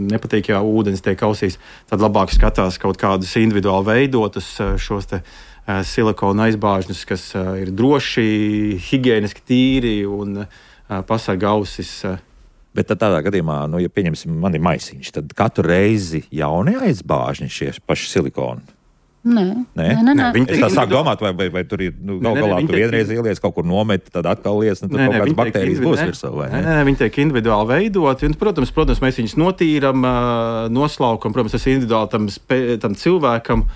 [SPEAKER 3] nepatīk, ja ūdens tiek ausīs, tad labāk skatās kaut kādus individuāli veidotus uh, šos te uh, silikona aizbāžņus, kas uh, ir droši, higiēniski tīri un uh, pasargā ausis.
[SPEAKER 1] Bet tad tādā gadījumā, nu, ja pieņemsim, man ir maisiņš, tad katru reizi jauni aizbāžņi šie paši silikoni?
[SPEAKER 2] Nē,
[SPEAKER 1] nē,
[SPEAKER 2] nē, nē. nē.
[SPEAKER 1] Es tā sāku domāt, vai, vai, vai tur ir, nu, gal galā tu vienreiz ieliec kaut kur nomet, tad atkal liec, nu, tad nē, kaut kādas baktērijas būs virsū, vai
[SPEAKER 3] ne? Nē, nē, viņi tiek individuāli veidoti, un, protams, protams, mēs viņus notīram, noslaukam, protams, tas individuāli tam, spē, tam cilvēkam,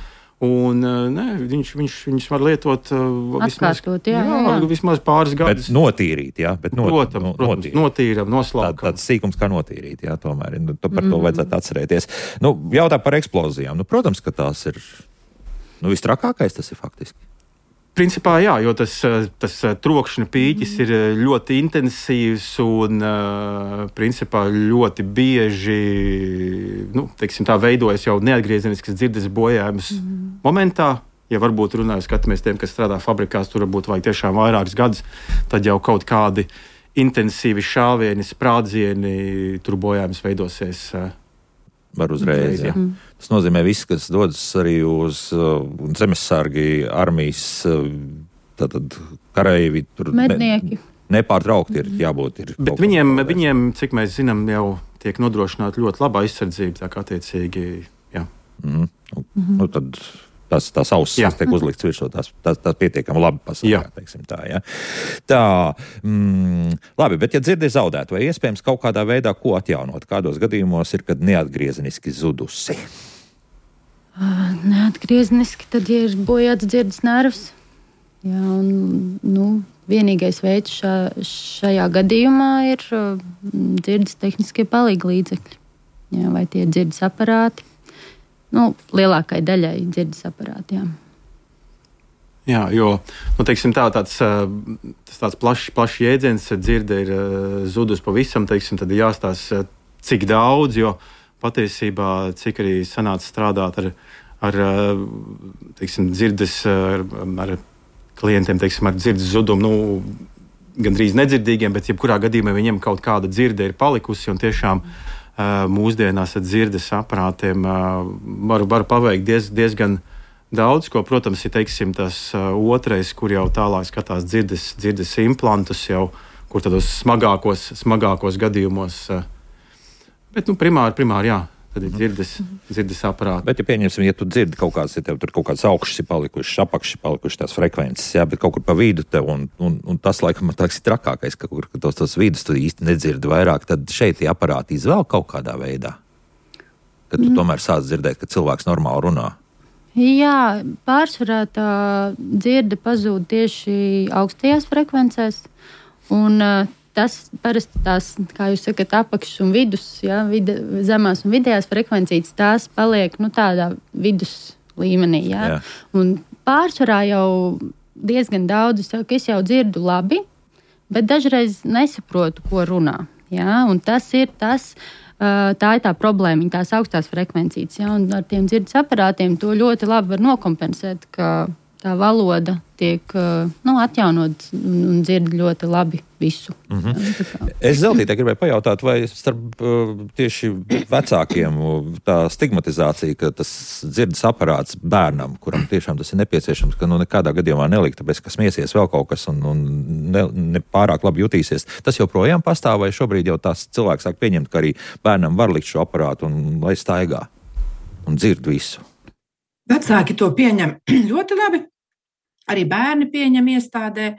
[SPEAKER 3] un ne, viņš, viņš, viņš var lietot uh, vismaz,
[SPEAKER 2] Atkārtot, jā, jā, jā.
[SPEAKER 3] vismaz pāris gadus.
[SPEAKER 1] Bet notīrīt, jā. Bet not,
[SPEAKER 3] protams,
[SPEAKER 1] no,
[SPEAKER 3] protams,
[SPEAKER 1] notīrīt.
[SPEAKER 3] notīram, noslaukam.
[SPEAKER 1] Tā, tāds sīkums kā notīrīt, jā, tomēr. Nu, par to mm. vajadzētu atcerēties. Nu, jautā par eksplozijām. Nu, protams, ka tās ir, nu, vistrakākais tas ir faktiski.
[SPEAKER 3] Principā jā, jo tas, tas trokšņa pīķis mm. ir ļoti intensīvs un principā ļoti bieži nu, teiksim, tā veidojas jau neatgriezeniskas dzirdes bojājums mm. momentā. Ja varbūt runājot, skatāmies tiem, kas strādā fabrikās, tur varbūt vajag tiešām vairākus gadus, tad jau kaut kādi intensīvi šāvieni, sprādzieni, tur bojājums veidosies.
[SPEAKER 1] Var uzreiz, jā. Mm. Tas nozīmē, viss, kas dodas arī uz uh, zemesargi, armijas, uh, tātad kareivi, tur
[SPEAKER 2] mednieki.
[SPEAKER 1] Ne, nepārtraukti ir jābūt. Ir
[SPEAKER 3] Bet viņiem, viņiem, cik mēs zinām, jau tiek nodrošināta ļoti laba aizsardzība, tā kā attiecīgi, jā.
[SPEAKER 1] Mm. Nu, mm-hmm. nu, tad tās, tās ausis, kas tiek uzlikts virsū, tās, tās, tās pietiekami labi pasargā, teiksim tā, jā. Tā, mm, labi, bet ja dzirdi ir zaudēta, vai iespējams kaut kādā veidā ko atjaunot? Kādos gadījumos ir, kad neatgriezeniski zudusi?
[SPEAKER 2] Uh, neatgriezeniski, tad ja ir bojāts dzirdes nervs. Jā, un, nu, vienīgais veids šā, šajā gadījumā ir uh, dzirdes tehniskie palīga līdzekļi. Jā, vai tie dzirdes aparāti. Nu, lielākai daļai dzirdes aparāti, jā.
[SPEAKER 3] Jā, jo nu, teiksim, tā, tāds, tas tāds plašs, plašs jēdziens, dzirde ir zudus pavisam, teiksim, tad ir jāstāsta, cik daudz, jo patiesībā, cik arī sanāca strādāt ar, ar teiksim, dzirdes, ar, ar klientiem, teiksim, ar dzirdes zudumu, nu, gandrīz nedzirdīgiem, bet jebkurā gadījumā viņiem kaut kāda dzirde ir palikusi, un tiešām mūsdienās ar dzirdes aparātiem var, var paveikt diez, diezgan daudz, ko, protams, ir teiksim, tas otrais, kur jau tālāk skatās dzirdes, dzirdes implantus, jau, kur tādos smagākos, smagākos gadījumos. Bet, nu, primāri, primāri, jā, tad ir dzirdes, dzirdes aparāti.
[SPEAKER 1] Bet, ja pieņemsim, ja tu dzirdi kaut kāds, ja tev tur kaut kāds augšs ir palikušas, apakšs ir palikušas tās frekvences, jā, bet kaut kur pa vidu tev, un, un, un tas, laikam, man liekas, ir trakākais, ka kur tos, tos vidus tu īsti nedzirdi vairāk, tad šeit tie aparāti izvēl kaut kādā veidā, kad tu mm. tomēr sāc dzirdēt, ka cilvēks normāli runā.
[SPEAKER 2] Jā, pārsvarā tā dzirde pazūd tieši augstajās frekvencēs, un uh, tas parasti tās, kā jūs sakat, apakšs un vidus, jā, vide, zemās un vidējās frekvencītes, tās paliek, nu, tādā vidus līmenī, jā. jā. Un pārsvarā jau diezgan daudz, es saku, es jau dzirdu labi, bet dažreiz nesaprotu, ko runā, jā, un tas ir tas, tā ir tā problēma, tās augstās frekvencītes. Ja, un ar tiem dzirdes aparātiem to ļoti labi var nokompensēt, ka tā valoda tiek nu, atjaunot un dzird ļoti labi visu.
[SPEAKER 1] Mm-hmm. Ja, es Zeltītē gribēju pajautāt, vai starp tieši vecākiem tā stigmatizācija, ka tas dzirdes aparāts bērnam, kuram tiešām tas ir nepieciešams, ka nu nekādā gadījumā nelikt, tāpēc, ka smiesies vēl kaut kas un, un ne, ne pārāk labi jutīsies. Tas joprojām pastāv, vai šobrīd jau tās cilvēks sāk pieņemt, ka arī bērnam var likt šo aparātu un lai staigā un dzird visu?
[SPEAKER 4] Vecāki to pieņem ļoti labi. Arī bērni pieņem iestādē,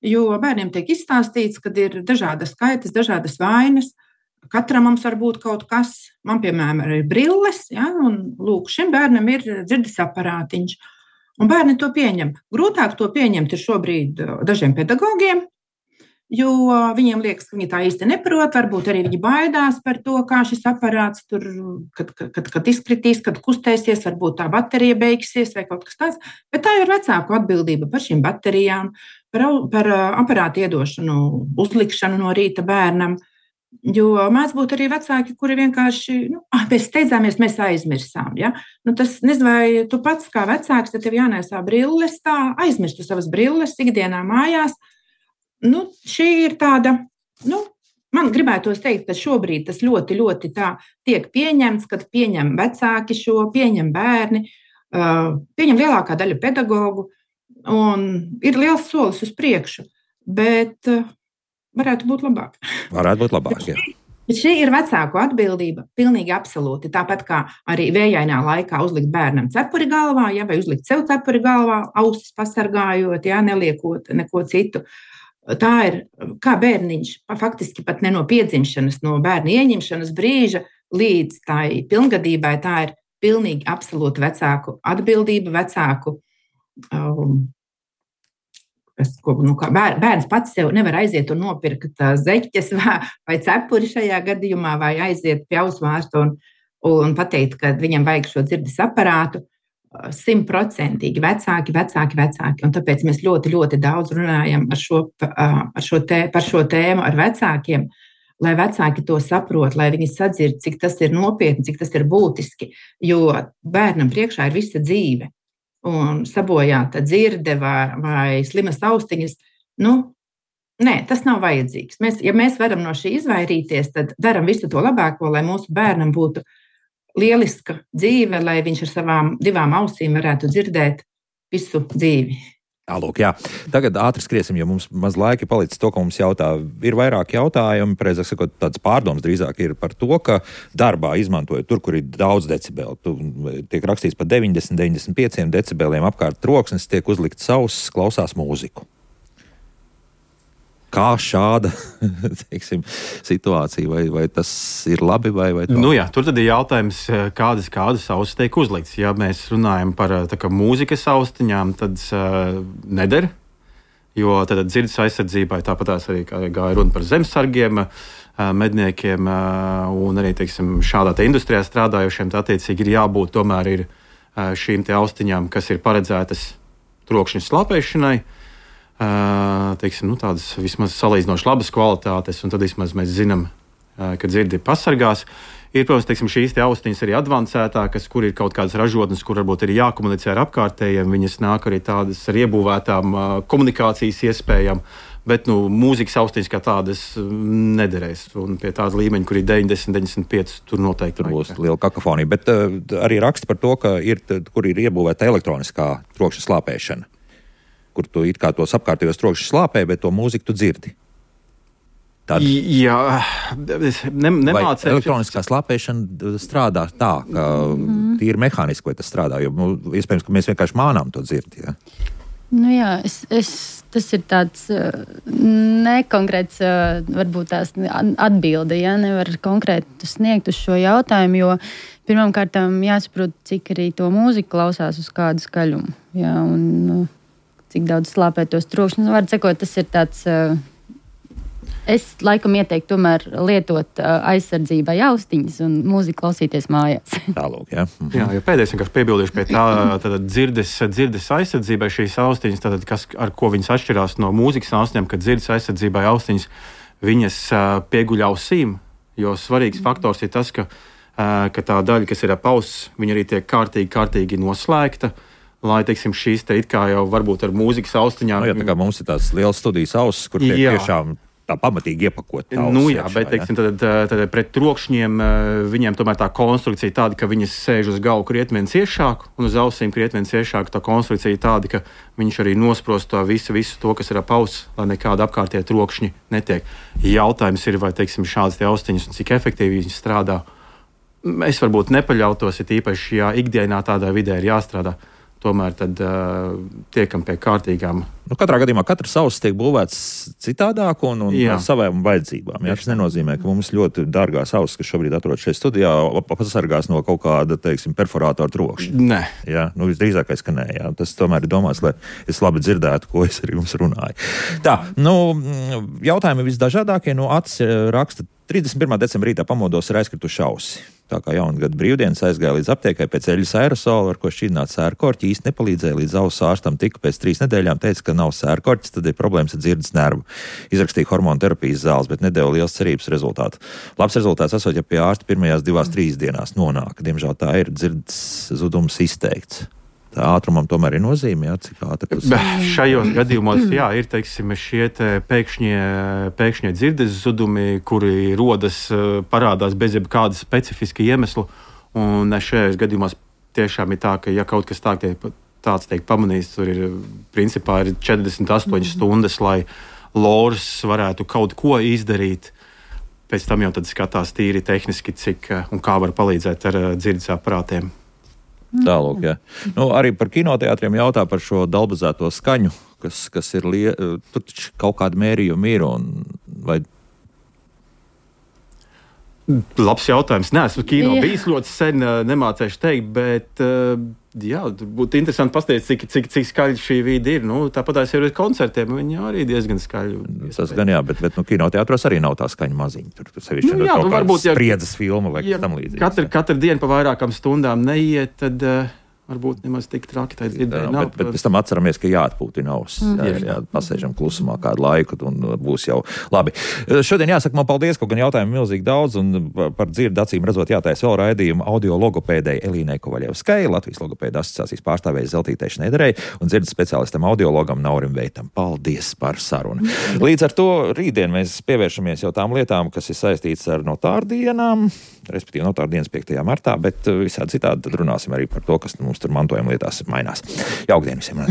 [SPEAKER 4] jo bērniem tiek izstāstīts, ka ir dažādas skaitas, dažādas vainas. Katram mums var būt kaut kas. Man, piemēram, ir brilles, ja, un lūk, šim bērnam ir dzirdes aparātiņš. Un bērni to pieņem. Grūtāk to pieņemt ir šobrīd dažiem pedagogiem, jo viņiem liekas, ka viņi tā īsti neprot, varbūt arī viņi baidās par to, kā šis aparāts tur, kad, kad, kad izkritīs, kad kustēsies, varbūt tā baterija beigsies vai kaut kas tāds, bet tā ir vecāku atbildība par šīm baterijām, par, par aparātu iedošanu, uzlikšanu no rīta bērnam, jo mēdz būt arī vecāki, kuri vienkārši, nu, ah, mēs steidzāmies, mēs aizmirsām, ja? Nu, tas, nezinu, vai tu pats kā vecāks, tad tev jānēsā brilles, tā aizmirstu savas brilles ikdienā mājās. Nu, šī ir tāda, nu, man gribētos teikt, ka šobrīd tas ļoti, ļoti tā tiek pieņemts, kad pieņem vecāki šo, pieņem bērni, uh, pieņem lielākā daļa pedagogu, un ir liels solis uz priekšu, bet uh, varētu būt labāk.
[SPEAKER 1] Varētu būt labāk, jā.
[SPEAKER 4] Bet šī ir vecāku atbildība, pilnīgi absolūti. Tāpat kā arī vējainā laikā uzlikt bērnam cepuri galvā, ja, vai uzlikt sev cepuri galvā, ausis pasargājot, ja, neliekot neko citu. Tā ir, kā bērniņš, faktiski pat ne no piedzimšanas, no bērna ieņemšanas brīža līdz tai pilngadībai, tā ir pilnīgi absolūti vecāku atbildība, vecāku, um, kas, ko, nu, kā bēr, bērns pats sev nevar aiziet un nopirkt zeķes vai, vai cepuri šajā gadījumā, vai aiziet pie ausvārsta un, un pateikt, ka viņam vajag šo dzirdes aparātu. Simtprocentīgi vecāki, vecāki, vecāki. Un tāpēc mēs ļoti, ļoti daudz runājam ar šo, ar šo tē, par šo tēmu ar vecākiem, lai vecāki to saprot, lai viņi sadzird, cik tas ir nopietni, cik tas ir būtiski. Jo bērnam priekšā ir visa dzīve. Un sabojāta dzirde vai, vai slimas austiņas, nu, nē, tas nav vajadzīgs. Mēs, ja mēs varam no šī izvairīties, tad daram visu to labāko, lai mūsu bērnam būtu lieliska dzīve, lai viņš ar savām divām ausīm varētu dzirdēt visu dzīvi.
[SPEAKER 1] Lūk, jā. Tagad ātri skriesim, jo mums maz laika palicis to, ko mums jautā. Ir vairāk jautājumi, precīzāk sakot, tāds pārdoms drīzāk ir par to, ka darbā izmantojot tur, kur ir daudz decibeli. Tu, tiek rakstīts par deviņdesmit, deviņdesmit pieciem decibeliem apkārt troksnis, tiek uzlikt sauss, klausās mūziku. Kā šāda teiksim, situācija, vai, vai tas ir labi, vai, vai tā?
[SPEAKER 3] Nu jā, tur tad ir jautājums, kādas, kādas ausis tiek uzlikts. Ja mēs runājam par tā kā mūzikas austiņām, tad uh, neder, jo tad dzirdes aizsardzībai tāpatās arī gāja runa par zemesargiem, uh, medniekiem uh, un arī, teiksim, šādā te industrijā strādājušiem, tā attiecīgi ir jābūt tomēr ir uh, šīm te austiņām, kas ir paredzētas trokšņa slāpēšanai. Uh, teiksim, nu, tādas vismaz salīdzinoši labas kvalitātes, un tad vismaz mēs zinām, uh, ka dzirdi pasargās. Ir, protams, teiksim, šīs te austiņas arī advancētākas, kur ir kaut kādas ražotnes, kur varbūt ir jākomunicē ar apkārtējiem. Viņas nāk arī tādas ar iebūvētām uh, komunikācijas iespējām, bet nu, mūzikas austiņas kā tādas nederēs. Un pie tāda līmeņa, kur ir deviņdesmit, deviņdesmit pieci, tur noteikti
[SPEAKER 1] tur būs liela kakofonija. Bet uh, arī raksta par to, ka ir, kur ir iebūvēta elektroniskā trokšņa slāpēšana, kur tu it kā tos apkārtējos trokšņus slāpē, bet to mūziku tu dzirdi. Tad...
[SPEAKER 3] Jā, es ne, nemācēju.
[SPEAKER 1] Elektroniskā slāpēšana strādā tā, ka mm. tīri mehāniski, vai tas strādā, jo, nu, iespējams, ka mēs vienkārši mānām to dzirdi, ja?
[SPEAKER 2] Nu jā, es, es, tas ir tāds uh, nekonkrēts, uh, varbūt tās atbilde, ja, nevar konkrēti sniegt uz šo jautājumu, jo pirmām kārtām jāsaprot, cik arī to mūziku klausās uz kādu skaļumu, ja, un uh, cik daudz slāpē tos trokšņus. Var sakot, tas ir tāds, uh, es laikam ieteiktu tomēr lietot uh, aizsardzībai austiņas un mūziku klausīties mājās.
[SPEAKER 1] Tālūk, jā. Mhm.
[SPEAKER 3] Jā, jo pēdējais vienkārši piebildīšu pie tā, tātad dzirdes, dzirdes aizsardzībai šīs austiņas, tātad kas, ar ko viņas atšķirās no mūzikas austiņām, kad dzirdes aizsardzībai austiņas, viņas uh, pieguļ ausīm, jo svarīgs faktors ir tas, ka, uh, ka tā daļa, kas ir ap auss, viņa arī tiek kārtīgi, kārtīgi noslēgta, lai, teiksim, šīs te it kā jau varbūt ar mūzikas austiņām.
[SPEAKER 1] Nu, jā, tā kā mums ir tās liels studijas auss, kur tiek jā. tiešām tā pamatīgi iepakot.
[SPEAKER 3] Nu jā, iekšā, bet, teiksim, tad, tad pret trokšņiem viņiem tomēr tā konstrukcija tāda, ka viņas sēž uz galvu krietni vien ciešāk, un uz ausīm krietni vien ciešāk. Tā konstrukcija tāda, ka viņš arī nosprost to visu, visu to, kas ir ap auss, lai nekāda apkārtie trokšņi netiek. Jautājums ir, vai, teiksim, šādas tie austiņas un cik efektīvi viņas strādā. Es varbūt nepaļautos, ja īpaši, ja ikdienā tādā vidē ir jāstrādā. Tomēr tad uh, tiekam pie kārtīgām.
[SPEAKER 1] Nu, katrā gadījumā katrs auss tiek būvēts citādāk un, un ar savām vajadzībām. Jā, tas nenozīmē, ka mums ļoti dārgās auss, kas šobrīd atrodas šeit studijā, pasargās no kaut kāda, teiksim, perforātora trokšņa.
[SPEAKER 3] Nē.
[SPEAKER 1] Jā, nu visdrīzākais, ka nē. Jā. Tas tomēr ir domāts, lai es labi dzirdētu, ko es arī jums runāju. Tā, nu, jautājumi visdažādākie. Nu, Acis raksta, trīsdesmit pirmā decembra rītā pamodos ar aizkritušu ausi. Tā kā jaungada brīvdienas aizgāja līdz aptiekai pēc eļļas aerosola, ar ko šķidrināts sērkorķi, īsti nepalīdzēja, līdz auss ārstam tika pēc trīs nedēļām, teica, ka nav sērkorķis, tad ir problēmas ar dzirdes nervu. Izrakstīja hormonu terapijas zāles, bet nedēva liels cerības rezultātu. Labs rezultāts esot, ja pie ārsta pirmajās divās, trīs dienās nonāk. Diemžēl tā ir, dzirdes zudums izteikts. Tā ātrumam tomēr ir nozīme, jā, cik ātri tas ir.
[SPEAKER 3] Šajos gadījumos, jā, ir, teiksim, šie te pēkšņie, pēkšņie dzirdes zudumi, kuri rodas, parādās bez jebkāda specifiska iemesla, un šajos gadījumos tiešām ir tā, ka, ja kaut kas tā, tāds tiek pamanīts, tur ir, principā, ir četrdesmit astoņas stundas, lai lors varētu kaut ko izdarīt. Pēc tam jau tad skatās tīri tehniski, cik un kā var palīdzēt ar dzirdes aparātiem.
[SPEAKER 1] Tālūk, jā. Nu, arī par kinoteātriem jautā par šo dalbazēto skaņu, kas, kas ir, lie... tur taču kaut kāda mērījuma ir, un vai...
[SPEAKER 3] Labs jautājums. Nē, esmu kino jā. bijis ļoti sen, nemācēšu teikt, bet jā, būtu interesanti paskatīties, cik, cik, cik skaļi šī vide ir. Nu, tāpat jau ir koncertiem, viņi arī diezgan skaļi.
[SPEAKER 1] Tas gan jā, bet, bet nu, kinoteātros arī nav tā skaņa maziņa. Tur, tur sevišķi nu, jā, nu, varbūt, ja spriedzes filma vai kas tam līdzīgs.
[SPEAKER 3] Katru, katru dienu pa vairākām stundām neiet, tad... Uh, varbūt nemaz tik traki tā dzirdēja.
[SPEAKER 1] Jā, bet, bet pēc tam atceramies, ka jāatpūtina auss. Mm. Jā, jā, pasēžam klusumā kādu laiku un būs jau labi. Šodien jāsaka man paldies, kaut gan jautājumu milzīgi daudz, un par dzirdi acīm redzot jātais vēl raidījumu audio logopēdei Elīnai Kovaļevskai, Latvijas logopēda asociācijas pārstāvēja Zeltītei Šneiderei un dzirdes speciālistam audiologam Naurim Veitam. Paldies par sarunu. Līdz ar to rītdien mēs pievēršamies jau tām lietām, kas ir saistīts ar notāru dienām, respektīvi notāru dienas piektajā martā, bet visādi citādi tad runāsim arī par to, kas mums tur mantojuma lietās mainās. Jauktdien visiem!